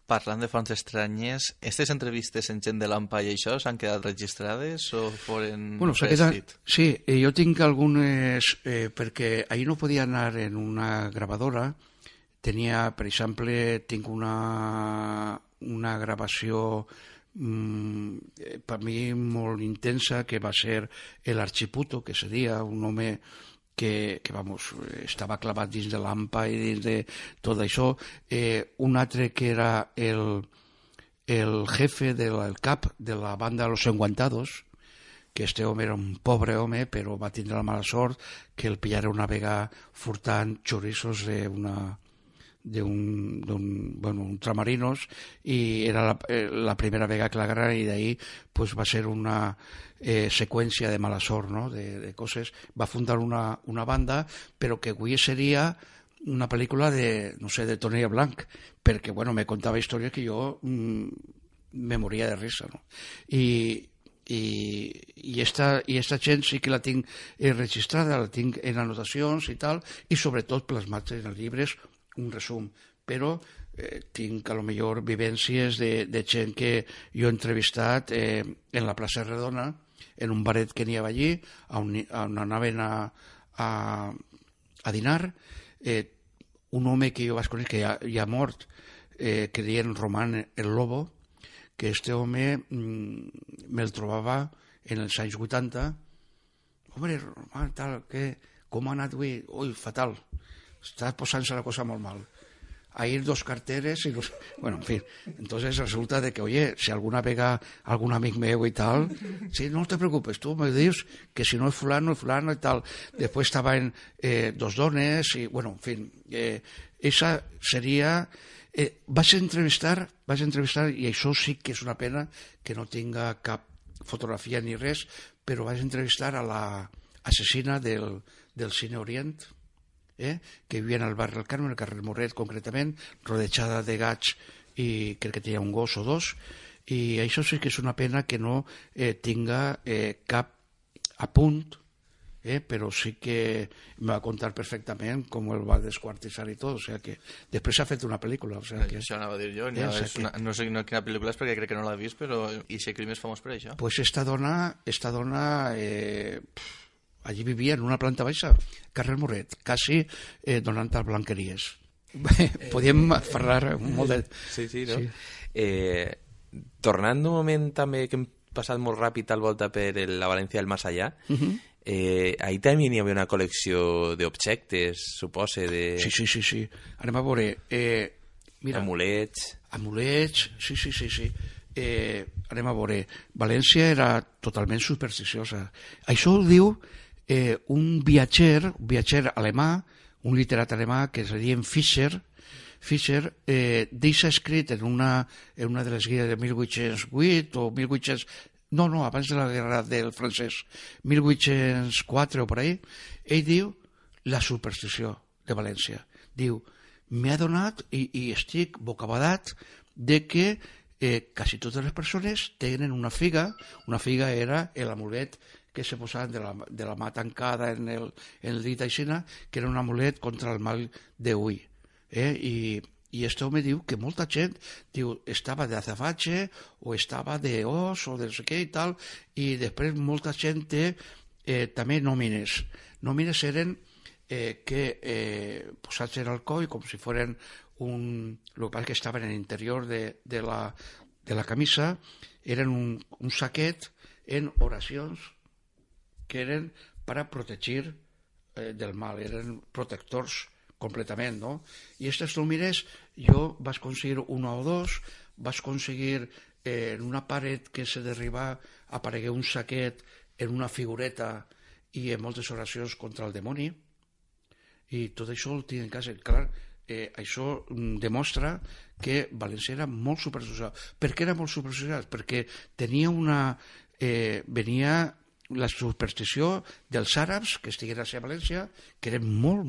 Parlant de fonts estranyes, aquestes entrevistes en gent de l'AMPA i això s'han quedat registrades o foren quedat, sí, jo tinc algunes, perquè ahir no podia anar en una gravadora. Tenia, per exemple, tinc una gravació per mi molt intensa, que va ser l'Archiputo, que seria un home que vamos, estava clavat dins de l'AMPA i dins de tot això. Un altre que era el jefe, el cap de la banda Los Enguantados, que este home era un pobre home, però va tindre la mala sort que el pillara una vegada furtant xoriços d'un tramarinos, i era la primera vegada que l'agarraren, i d'ahir pues, va ser una seqüència de mala sort, no? de coses. Va fundar una banda, però que avui seria una pel·lícula de Tonella Blanc, perquè me contava històries que jo me moria de risa, no? I esta gent sí que la tinc registrada, la tinc en anotacions i tal, i sobretot plasmat en els llibres, un resum, però tinc a lo millor vivències de gent que jo he entrevistat en la plaça Redona, en un baret que n'hi havia allí, on anaven a dinar. Un home que jo vaig conèixer, que ja ha mort, que deien Román el Lobo, que este home me'l trobava en els anys 80. Home, Román, tal, com ha anat avui? Ui, fatal. Està posant-se la cosa molt mal. Ahir 2 carteres y bueno, en fin. Entonces resulta de que, oye, si alguna vega algún amigo meu y tal, sí, no te preocupes, tú me dices que si no es fulano y tal. Después estaba en 2 dones y, bueno, en fin, esa sería... Vas a entrevistar, i això sí que és una pena que no tinga cap fotografia ni res, però vas a entrevistar a l'assassina del Cine Orient, que vivia al barri del Carme, al carrer Morret concretament, rodejada de gats, i crec que tenia un gos o 2, i això sí que és una pena que no tinga cap apunt, però sí que em va contar perfectament com el va desquartitzar i tot, o sigui que després s'ha fet una pel·lícula. Això anava a dir jo, no sé quina pel·lícula és perquè crec que no l'ha vist, però i si el crim és famós per això? Pues esta dona allí vivia en una planta baixa, carrer Moret, quasi donant a Blanqueries. Podíem parlar molt de... Sí, no? Sí. Tornant un moment també que hem passat molt ràpid al volta per la València del Más Allá, ahí també hi havia una col·lecció d'objectes, supose, de... Sí. Anem a veure... Mira, amulets, sí. Anem a veure, València era totalment supersticiosa. Això ho diu un viatger alemà, un literat alemà que es deia Fischer, deixa escrit en una de les guies de 1808 o 1800... No, abans de la guerra del francès, 1804 o per ahí, ell diu la superstició de València. Diu, m'he adonat i estic bocabadat de que quasi totes les persones tenen una figa era l'amulet que se posaven de la mà tancada en el dit aixina, que era un amulet contra el mal d'ull. I este home diu que molta gent estava d'azafache o estava d'os o de no sé què i tal, i després molta gent té també nòmines. Nòmines eren posats en el coll com si foren el que passa que estaven en l'interior de la camisa, eren un saquet en oracions que eren per a protegir del mal, eren protectors completament, no? I aquestes nòmines jo vaig aconseguir una o dos, vaig aconseguir en una paret que se derribar aparegué un saquet en una figureta i en moltes oracions contra el demoni, i tot això el tinc en casa. Clar, això demostra que València era molt supersocial. Per què era molt supersocial? Perquè tenia venia la superstició dels àrabs que estigueren a València, que eren molt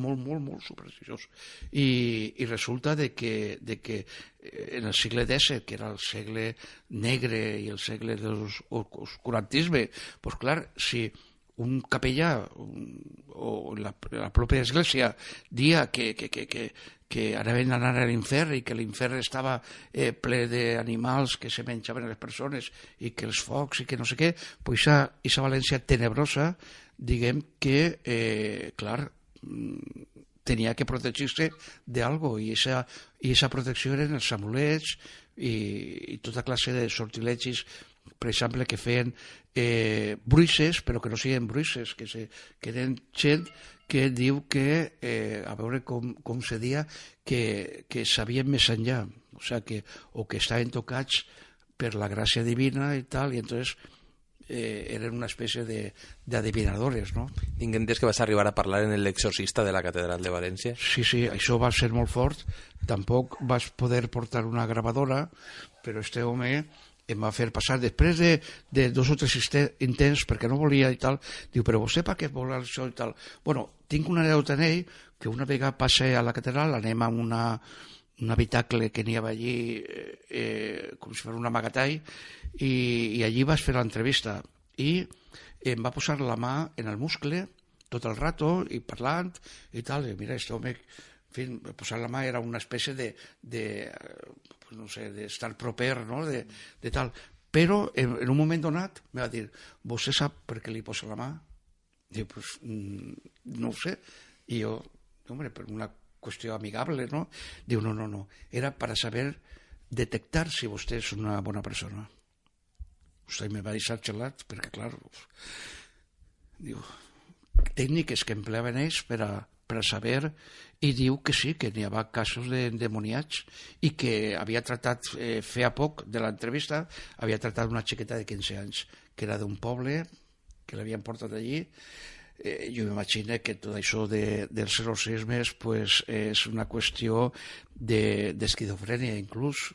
supersticiosos. I resulta de que en el segle XVII, que era el segle negre i el segle de l'oscurantisme, doncs clar, si un capellà o la pròpia església dia que anaven a anar a l'infern i que l'infern estava ple d'animals que se menjaven a les persones i que els focs i que no sé què, doncs aquesta València tenebrosa, diguem que, clar, tenia que protegir-se d'algo, i aquesta protecció eren els amulets i tota classe de sortilegis, per exemple, que feien bruixes, però que no siguin bruixes, que eren gent que diu que, a veure com se dia, que sabien més enllà, o que estaven tocats per la gràcia divina i tal, i entonces eren una espècie d'adivinadores, no? Tinc entès que vas arribar a parlar en l'exorcista de la catedral de València. Sí, això va ser molt fort. Tampoc vas poder portar una gravadora, però este home em va fer passar, després de 2 o 3 intents, perquè no volia i tal, diu, però vostè per què vol això i tal? Bueno, tinc una anècdota en ell, que una vegada passe a la catedral, anem a un habitacle que n'hi havia allí, com si fos un amagatall, i allí vas fer l'entrevista, i em va posar la mà en el muscle tot el rato, i parlant, i tal, i mira, este home, en fi, posar la mà era una espècie no sé, d'estar proper, no?, de tal. Però en un moment donat me va dir, vostè sap per què li posa la mà? Diu, pues no ho sé. I jo, hombre, per una qüestió amigable, no? Diu, no, era per saber detectar si vostè és una bona persona. Vostè me va deixar xelat, perquè, clar, diu, tècniques que empleaven ells per a saber, i diu que sí, que n'hi havia casos d'endemoniats, i que havia tratat, feia poc de l'entrevista, havia tratat una xiqueta de 15 anys, que era d'un poble, que l'havien portat allí. Jo m'imagino que tot això dels exorcismes pues, és una qüestió d'esquizofrènia, inclús.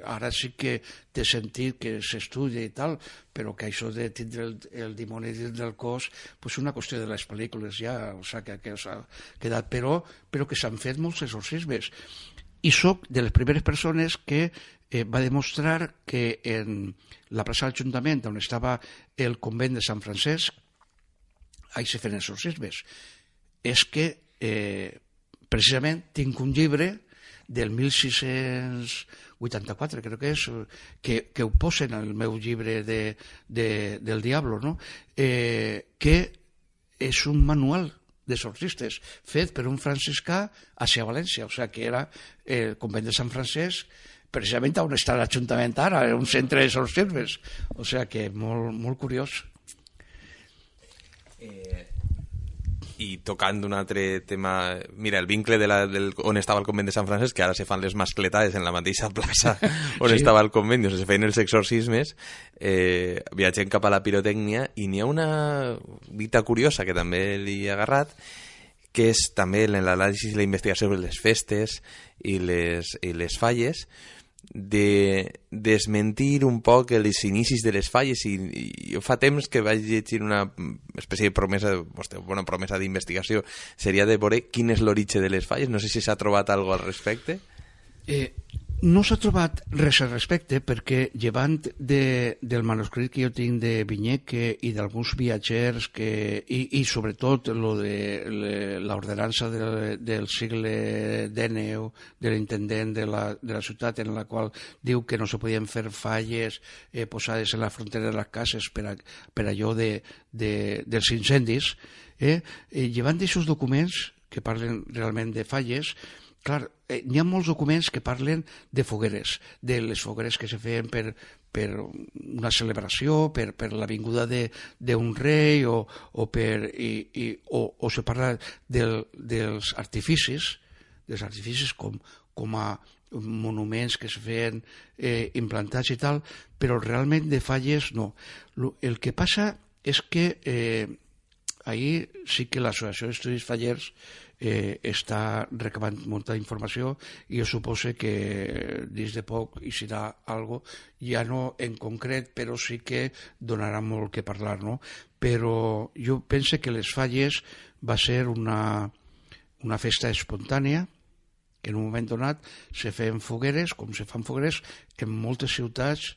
Ara sí que té sentit que s'estudia i tal, però que això de tindre el dimoni dins del cos és una qüestió de les pel·lícules ja, o sigui, que s'ha quedat, però que s'han fet molts exorcismes. I soc de les primeres persones que va demostrar que en la plaça de l'Ajuntament, on estava el convent de Sant Francesc, ahí se feien exorcismes. És que precisament tinc un llibre del 1684, crec que és, que ho posen al meu llibre del Diablo, no? Que és un manual d'exorcistes fet per un franciscà hacia València, o sigui que era el convent de Sant Francesc, precisament on està l'Ajuntament ara, un centre d'exorcismes, o sigui que molt, molt curiós. I tocant un altre tema, mira, el vincle on estava el convent de Sant Francesc, que ara se fan les mascletades en la mateixa plaça on estava el convent, on se feien els exorcismes, viatgem cap a la pirotècnia, i n'hi ha una dita curiosa que també li he agarrat, que és també en l'anàlisi i la investigació sobre les festes i les falles, de desmentir un poc els inicis de les falles, i jo fa temps que vaig llegir una espècie de promesa, una promesa d'investigació, seria de veure quin és l'origen de les falles. No sé si s'ha trobat alguna cosa al respecte. No s'ha trobat res al respecte, perquè llevant del manuscrit que jo tinc de Vinyeke i d'alguns viatgers i sobretot lo de l'ordenança del segle XIX de l'intendent de la ciutat, en la qual diu que no se podien fer falles posades en la frontera de les cases per allò dels incendis, llevant d'aquests documents que parlen realment de falles, clar, n'hi ha molts documents que parlen de fogueres, de les fogueres que se feien per una celebració, per la vinguda d'un rei, o se parla dels artificis com a monuments que se feien implantats i tal, però realment de falles no. El que passa és que ahir sí que l'Associació d'Estudis Fallers està recabant molta informació, i jo supose que dins de poc hi serà algo, ja no en concret, però sí que donarà molt que parlar, no? Però jo penso que les falles va ser una festa espontània, que en un moment donat se feien fogueres, com se fan fogueres en moltes ciutats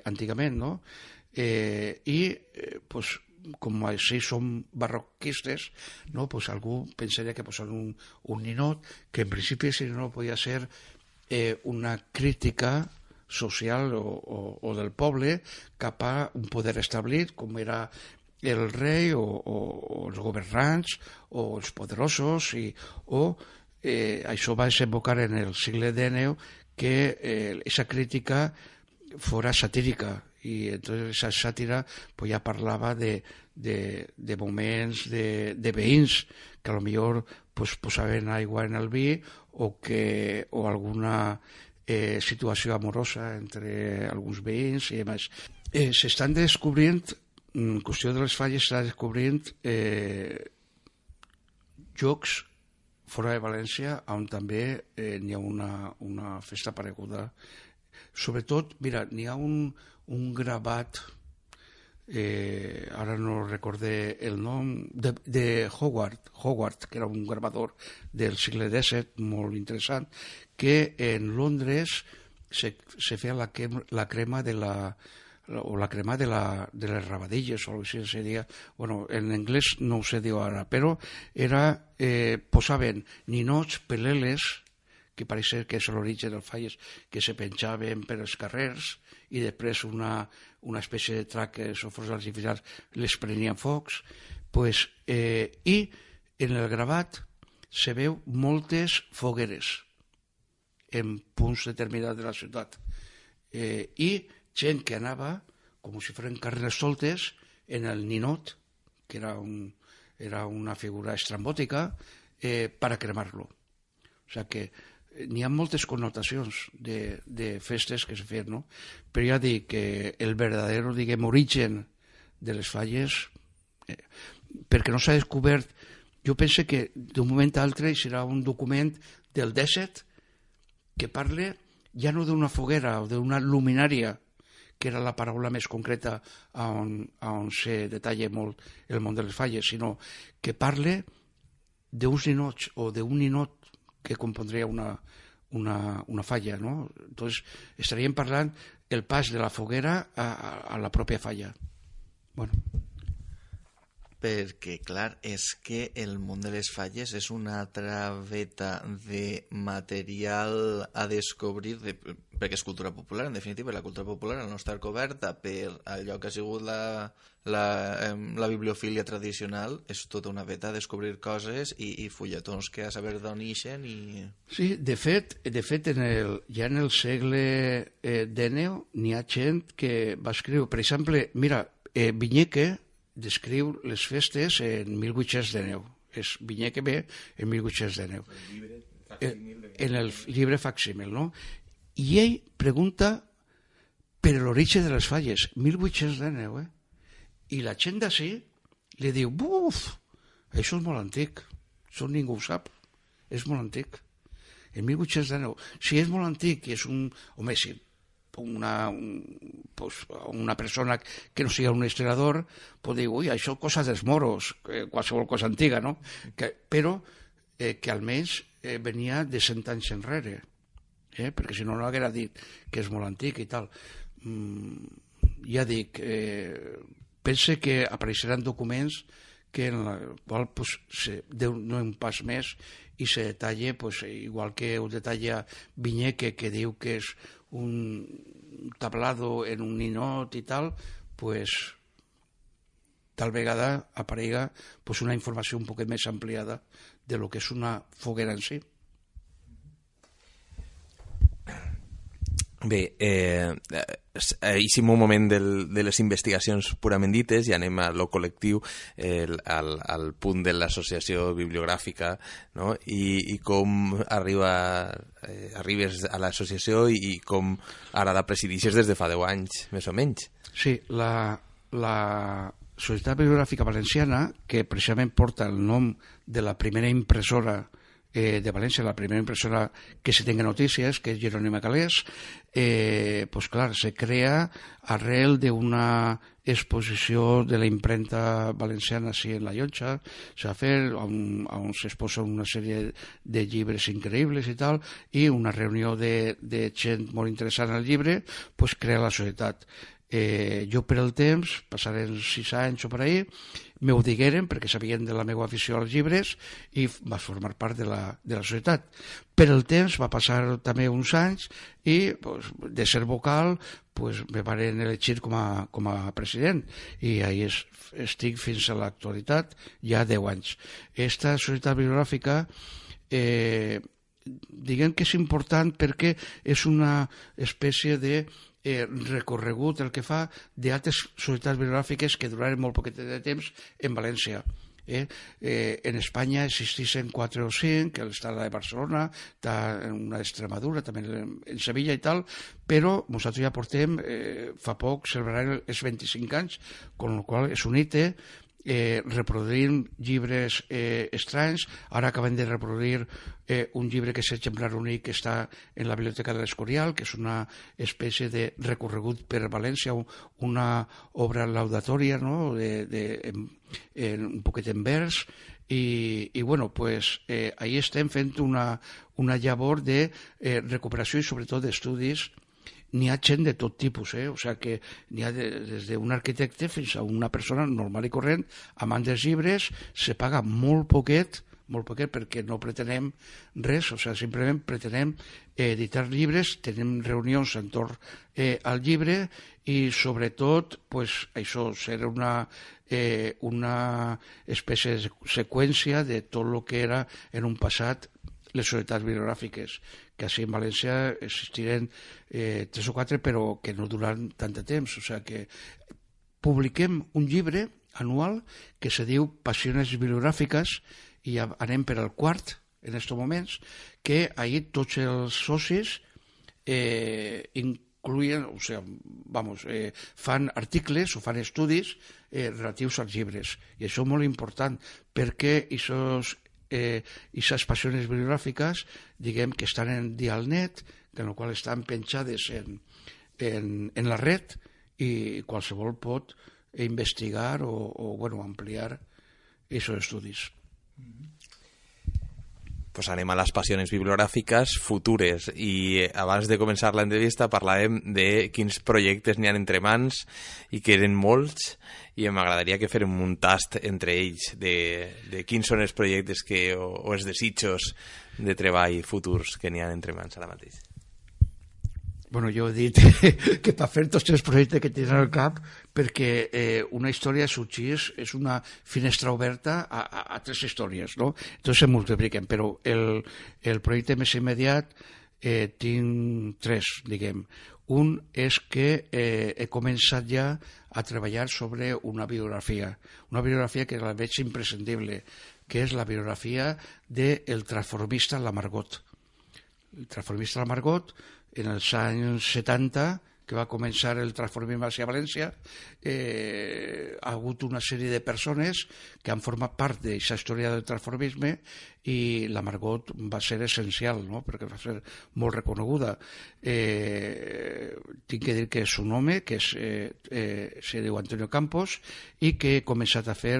antigament, no? I pues, com així som barroquistes, no? Pues algú pensaria que posar un ninot, que en principi si no podia ser una crítica social o del poble cap a un poder establit, com era el rei o els governants o els poderosos, això va desembocar en el segle XIX que esa crítica fora satírica, y entonces esa sátira pues ya parlava de moments de veïns que a lo millor pues, posaven aigua en el vi o alguna situació amorosa entre alguns veïns i demás. S'estan descobrint, en qüestió de les falles, s'estan descobrint llocs fora de València on també n'hi ha una festa pareguda. Sobretot, mira, n'hi ha un gravat, ara no recordé el nom, de Howard, que era un gravador del segle XVII molt interessant, que en Londres se feia la crema de les rabadilles, o així se deia, bueno, en anglès no ho sé dir ara, però posaven ninots, peleles, que pareix que és l'origen dels falles, que se penjaven per els carrers i després una espècie de traques o focs artificials les prenien focs, i en el gravat se veu moltes fogueres en punts determinats de la ciutat, i gent que anava com si foren carnestoltes en el ninot, que era una figura estrambòtica, per a cremar-lo. O sigui que n'hi ha moltes connotacions de festes que se feien, no? Però ja dic que el verdadero, diguem, origen de les falles, perquè no s'ha descobert, jo penso que d'un moment a l'altre serà un document del XVII que parla ja no d'una foguera o d'una luminària, que era la paraula més concreta on se detalla molt el món de les falles, sinó que parla d'uns ninots o d'un ninot que compondria una falla, ¿no? Entonces estaríem parlant el pas de la foguera a la pròpia falla. Bueno. Perquè, clar, és que el món de les falles és una altra veta de material a descobrir, perquè és cultura popular, en definitiva, la cultura popular al no estar coberta per allò que ha sigut la bibliofília tradicional, és tota una veta a descobrir coses i fulletons que a saber d'on ixen i... Sí, de fet ja en el segle XIX n'hi ha gent que va escriure, per exemple, mira, Viñeque descriu les festes en 1819. Viñeque ve en 1819. En el llibre facsímil, no? I ell pregunta per l'origen de les falles, 1819, I la gent d'ací li diu, buf, això és molt antic, això ningú ho sap, és molt antic. En 1819, si és molt antic i és un... Home, sí, una persona que no sigui un historiador pot dir, ui, això és cosa dels moros, qualsevol cosa antiga, no? Però que almenys venia de 100 anys enrere, perquè si no haguera dit que és molt antic i tal. Ja dic, pense que apareixeran documents que en el qual no un pas més i se detalla, igual que ho detalla Viñeque, que diu que és un tablado en un ninot i tal, tal vegada aparega una informació un poc més ampliada de lo que és una foguera en si. Bé, deixem un moment de les investigacions purament dites i anem a lo col·lectiu, al punt de l'associació bibliogràfica, no? I com arribes a l'associació i com ara la presidixes des de fa 10 anys, més o menys. Sí, la Societat Bibliogràfica Valenciana, que precisament porta el nom de la primera impressora de València, la primera impressora que se tenga notícies, que és Jerónima Calés, clar, se crea arrel d'una exposició de la impremta valenciana així en la Llotja, s'ha fet, on s'exposa una sèrie de llibres increïbles i tal, i una reunió de gent molt interessant al llibre, crea la societat. Jo per el temps, passaren 6 anys o per ahí, m'ho digueren perquè sabien de la meva afició als llibres i vaig formar part de la societat. Per el temps va passar també uns anys i de ser vocal me van elegir com a president i ahí estic fins a l'actualitat, ja 10 anys. Esta societat bibliogràfica diguem que és important perquè és una espècie de recorregut el que fa d'altres societats bibliogràfiques que duraren molt poquet de temps en València. En Espanya existissin 4 o 5, està la de Barcelona, està una d'Extremadura, també en Sevilla i tal, però nosaltres ja portem, fa poc, celebrarem els 25 anys, amb la qual és un hito, reproduint llibres estranys. Ara acabem de reproduir un llibre que és exemplar únic que està en la Biblioteca de l'Escorial, que és una espècie de recorregut per València, una obra laudatòria, no? Un poquet en vers, i bueno, ahí estem fent una llavor de recuperació i sobretot d'estudis. N'hi ha gent de tot tipus, o sigui que n'hi ha des d'un arquitecte fins a una persona normal i corrent, amant dels llibres, se paga molt poquet perquè no pretenem res, o sigui, simplement pretenem editar llibres, tenim reunions entorn al llibre i sobretot, això, ser una espècie de seqüència de tot el que era en un passat les societats bibliogràfiques, que així en València existiren 3 o 4, però que no duran tant de temps. O sigui que publiquem un llibre anual que se diu Passiones bibliogràfiques i ja anem per al 4 en aquests moments, que ahir tots els socis incluïen, o sigui, fan articles o fan estudis relatius als llibres. I això és molt important perquè aquestes passions bibliogràfiques, diguem que estan en Dialnet, en el qual estan penjades en la red i qualsevol pot investigar o ampliar aquests estudis. pues anem a les passions bibliogràfiques futures, i abans de començar l'entrevista parlàvem de quins projectes n'hi ha entre mans, i que eren molts, i m'agradaria que férem un tast entre ells de quins són els projectes o els desitjos de treball futurs que n'hi ha entre mans ara mateix. Bueno, jo he dit que per fer tots els projectes que tens al cap, perquè una història sorgeix, és una finestra oberta a 3 històries, no? Entonces se multipliquen, però el projecte més immediat tinc 3, diguem. Un és que he començat ja a treballar sobre una biografia que la veig imprescindible, que és la biografia del transformista La Margot. El transformista La Margot, en els anys 70, que va començar el transformisme a València, ha hagut una sèrie de persones que han format part d'aquesta història del transformisme, i la Margot va ser essencial, no? Perquè va ser molt reconeguda. Tinc que dir que és un home que se diu Antonio Campos, i que ha començat a fer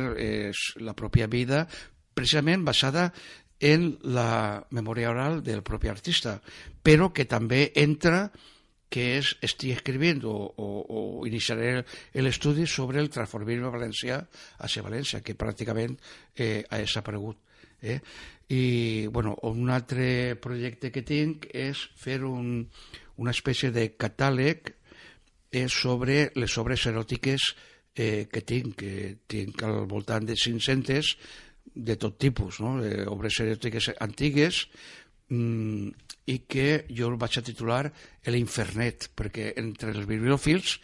la pròpia vida precisament basada en la memòria oral del propi artista, però que també entra que estic escrivint o iniciaré l'estudi sobre el transformisme valencià hacia València, que pràcticament ha desaparegut. I bueno, un altre projecte que tinc és fer una espècie de catàleg sobre les obres eròtiques que tinc al voltant de 500 de tot tipus, no? Obres eròtiques antigues, i que jo el vaig a titular l'Infernet, perquè entre els bibliòfils,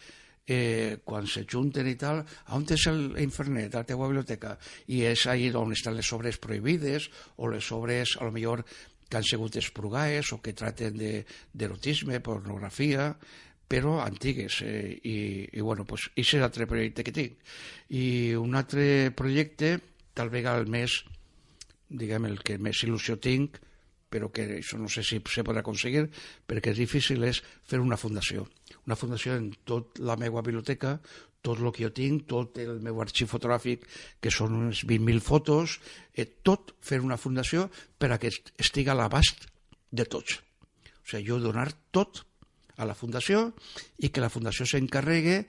quan se junten i tal, on és l'Infernet, a la teva biblioteca? I és ahí on estan les obres prohibides, o les obres, a lo millor, que han sigut expurgades, o que traten d'erotisme, pornografia, però antigues. I bueno, pues, és l'altre projecte que tinc. I un altre projecte, tal vegada el més, diguem, el que més il·lusió tinc, però que això no sé si se podrà aconseguir, perquè és difícil, és fer una fundació. Una fundació en tota la meva biblioteca, tot el que jo tinc, tot el meu arxiu fotogràfic, que són unes 20.000 fotos, tot fer una fundació per a que estigui a l'abast de tots. O sigui, jo donar tot a la fundació, i que la fundació s'encarregue,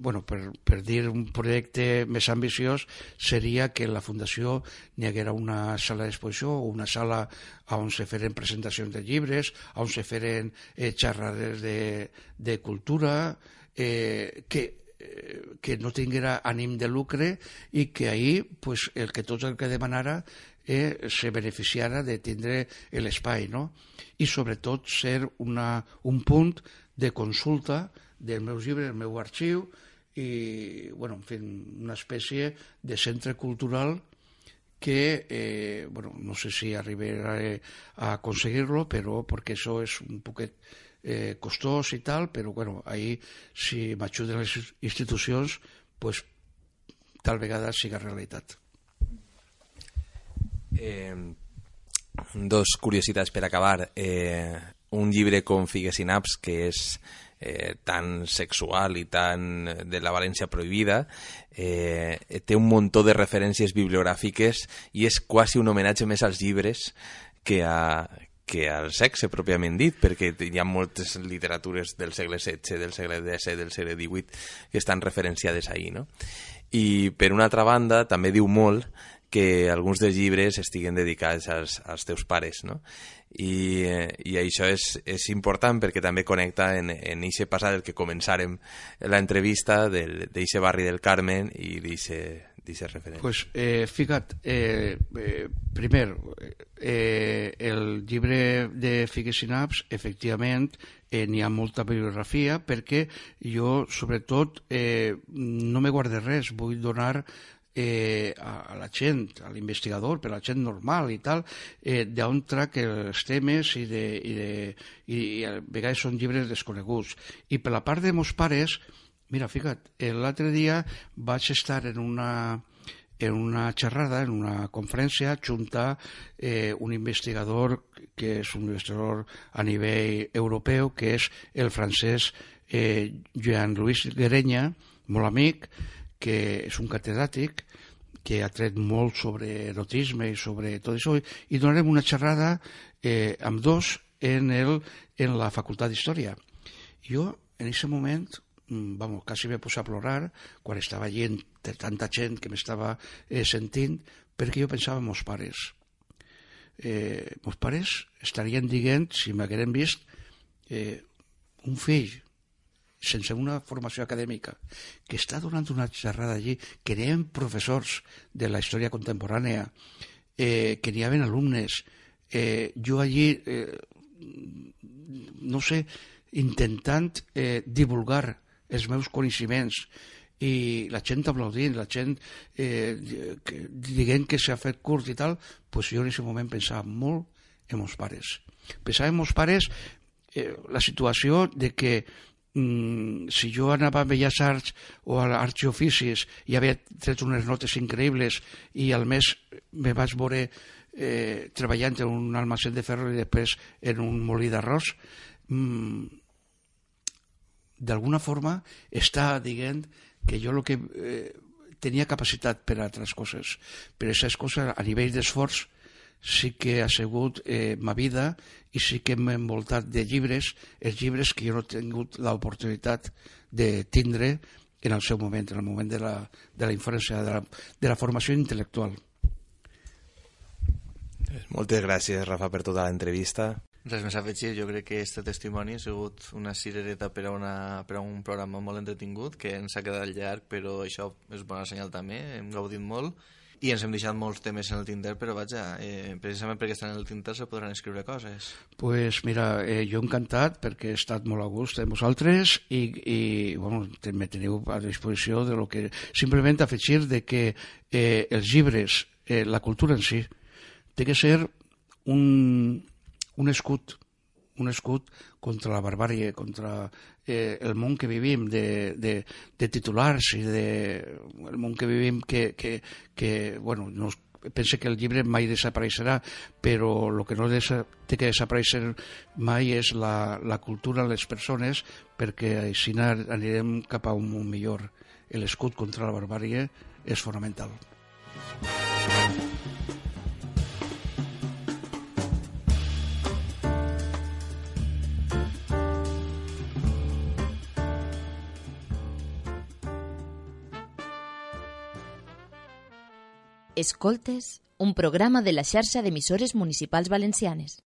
bueno, per dir un projecte més ambiciós, seria que en la fundació n'hi haguera una sala d'exposició o una sala on se feren presentacions de llibres, on se feren xerrades de cultura, que no tinguera ànim de lucre, i que ahir pues, el que demanara se beneficiara de tindre l'espai, no? I sobretot ser un punt de consulta dels meus llibres, del meu arxiu, i bueno, en fi, una espècie de centre cultural que, bueno, no sé si arribaré a aconseguir-lo, però perquè això és un poquet costós i tal, però bueno, ahí si m'ajuden les institucions, pues tal vegada siga realitat. Dos curiositats per acabar. Un llibre com Figues i naps, que és tan sexual i tan de la València prohibida, té un muntó de referències bibliogràfiques i és quasi un homenatge més als llibres que al sexe pròpiament dit, perquè hi ha moltes literatures del segle XVI, del segle XVII, del segle XVIII que estan referenciades ahí, no? I per una altra banda també diu molt que alguns dels llibres estiguen dedicats als teus pares, no? I això és important perquè també connecta en eixe passat del que començàrem l'entrevista d'eixe barri del Carmen i d'eixe referent. Pues fica't, primer, el llibre de Figues i naps, efectivament, n'hi ha molta bibliografia, perquè jo, sobretot, no me guarde res, vull donar a la gent, a l'investigador, per a la gent normal i tal, d'on trac els temes i a vegades són llibres desconeguts. I per la part de meus pares, mira, fica't, l'altre dia vaig estar en una xerrada, en una conferència, junta un investigador que és un investigador a nivell europeu, que és el francès Jean-Louis Guerenya, molt amic, que és un catedràtic, que ha tret molt sobre erotisme i sobre tot això, i donarem una xerrada amb dos en la Facultat d'Història. Jo, en aquest moment, quasi me posar a plorar quan estava allí entre tanta gent que m'estava sentint, perquè jo pensava en meus pares. Meus pares estarien dient, si m'hagueren vist, un fill sense una formació acadèmica, que està donant una xerrada allí, que n'hi havia professors de la història contemporània, que n'hi havia alumnes, jo allí, no sé, intentant divulgar els meus coneixements, i la gent aplaudint, la gent dient que s'ha fet curt i tal, doncs jo en aquest moment pensava molt en meus pares. Pensava en meus pares la situació de que si jo anava a Belles Arts o a l'Arts i Oficis i havia tret unes notes increïbles i al mes me vaig veure treballant en un almacén de ferro i després en un molí d'arròs, d'alguna forma està dient que jo que tenia capacitat per a altres coses, però aquestes coses a nivell d'esforç sí que ha sigut ma vida i sí que m'he envoltat de llibres, els llibres que jo no he tingut l'oportunitat de tindre en el seu moment, en el moment de la infància, de la formació intel·lectual. Moltes gràcies, Rafa, per tota l'entrevista. Res més a afegir, jo crec que este testimoni ha sigut una cirereta per a un programa molt entretingut, que ens ha quedat llarg, però això és bona senyal també, hem gaudit molt, i ens hem deixat molts temes en el Tinder, però vaja, precisament perquè estan en el Tinder se podran escriure coses. Pues mira, jo encantat perquè he estat molt a gust amb vosaltres i bueno, me teniu a disposició de lo que... Simplement afegir de que els llibres, la cultura en si, té que ser un escut contra la barbàrie, contra el món que vivim de titulars i el món que vivim que bueno, no pense que el llibre mai desapareixerà, però el que no té que desaparèixer mai és la cultura de les persones, perquè així anirem cap a un món millor. L'escut contra la barbàrie és fonamental. Escoltes, un programa de la xarxa d'emissores municipals valencianes.